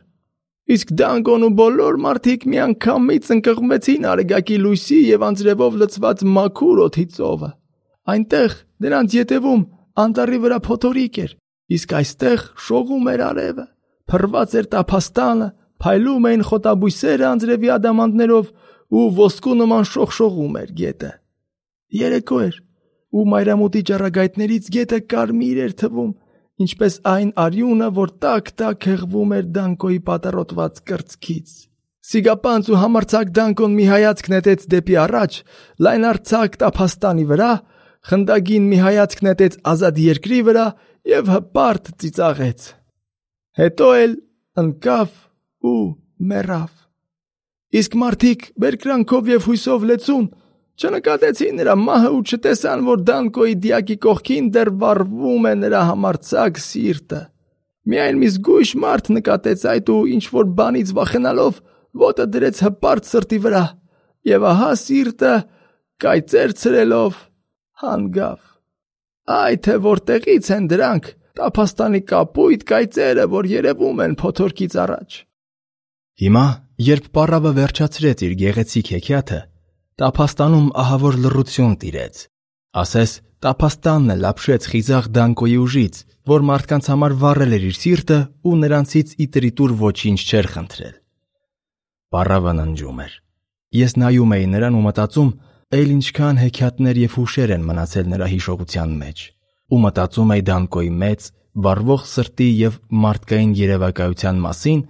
[SPEAKER 2] Իսկ Դանկոն ու բոլոր մարդիկ միանգամից ընկղմվեցին արեգակի լույսի և անձրևով լցված մաքուր օդի ծովը։ Այնտեղ նրանց ետևում անտառի վրա փոթորիկ էր, իսկ այստեղ շողում էր արևը, փռված էր տափաստանը, փայլում էին խոտաբույսերը անձրևի ադամանդներով ու ոսկու նման շողշողում էր գետը։ Երեկո էր, ու մայրամուտի ճառագայթներից գետը կարմիր էր թվում, ինչպես այն արյունը, որ տաք-տաք հեղվում էր Դանկոյի պատառոտված կրծքից։ Սիգապանց ու համարձակ Դանկոն մի հայացք նետեց դեպի առաջ, լայնարձակ տափաստանի վրա, խնդագին մի հայացք նետեց ազատ երկրի վրա և հպարտ ծիծաղեց։ Հետո էլ ընկավ ու մեռավ։ Իսկ մարդիկ բերկրանքով և հույսով լեցուն չնկատեցին նրա մահը ու չտեսան, որ Դանկոյի դիակի կողքին դեռ վառվում է նրա համարձակ սիրտը։ Միայն մի զգույշ մարդ նկատեց այդ ու ինչ-որ բանից վախենալով ոտը դրեց հպարտ սրտի վրա, և ահա սիրտը կայծեր ցրելով հանգավ։ Այ թե որտեղից են դրանք, Տափաստանի կապույտ կայծերը, որ երևում են փոթորկից առաջ։
[SPEAKER 1] Հիմա, երբ պառավը վերջացրեց իր գեղեցիկ հեքիաթը, տափաստանում ահավոր լռություն տիրեց։ Ասես տափաստանն էլ ապշեց խիզախ Դանկոյի ուժից, որ մարդկանց համար վառել էր իր սիրտը ու նրանցից իտրիտուր ոչինչ չէր խնդրել։ Պառավը ննջում էր։ Ես նայում էի նրան ու մտածում, այլ ինչքան հեքիաթներ և հուշեր են մնացել նրա հիշողության մեջ, ու մտածում էի Դանկոյի մեծ, վառվող սրտի և մարդկային երևակայության մասին,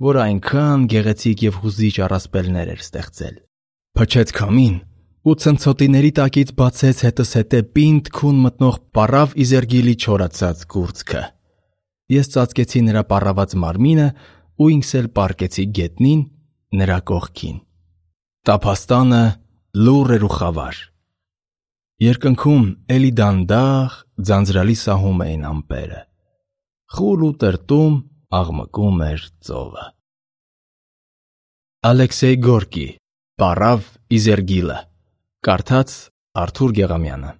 [SPEAKER 1] որ այնքան գեղեցիկ և հուզիչ առասպելներ էր ստեղծել։ Փչեց քամին, ու ցնցոտիների տակից բացեց հետզհետե պինդ քուն մտնող պառավ Իզերգիլի չորացած կուրծքը։ Ես ծածկեցի նրա պառաված մարմինը ու ինքս էլ պառկեցի գետնին նրա կողքին։ Տափաստանը լուռ էր ու խավար։ Երկնքում էլի դանդաղ, ձանձրալի սահում էին ամպերը։ Խուլ ու տրտում աղմկում էր ծովը։ Ալեքսեյ Գորկի, Պառավ Իզերգիլը, կարդաց Արթուր Գեղամյանը։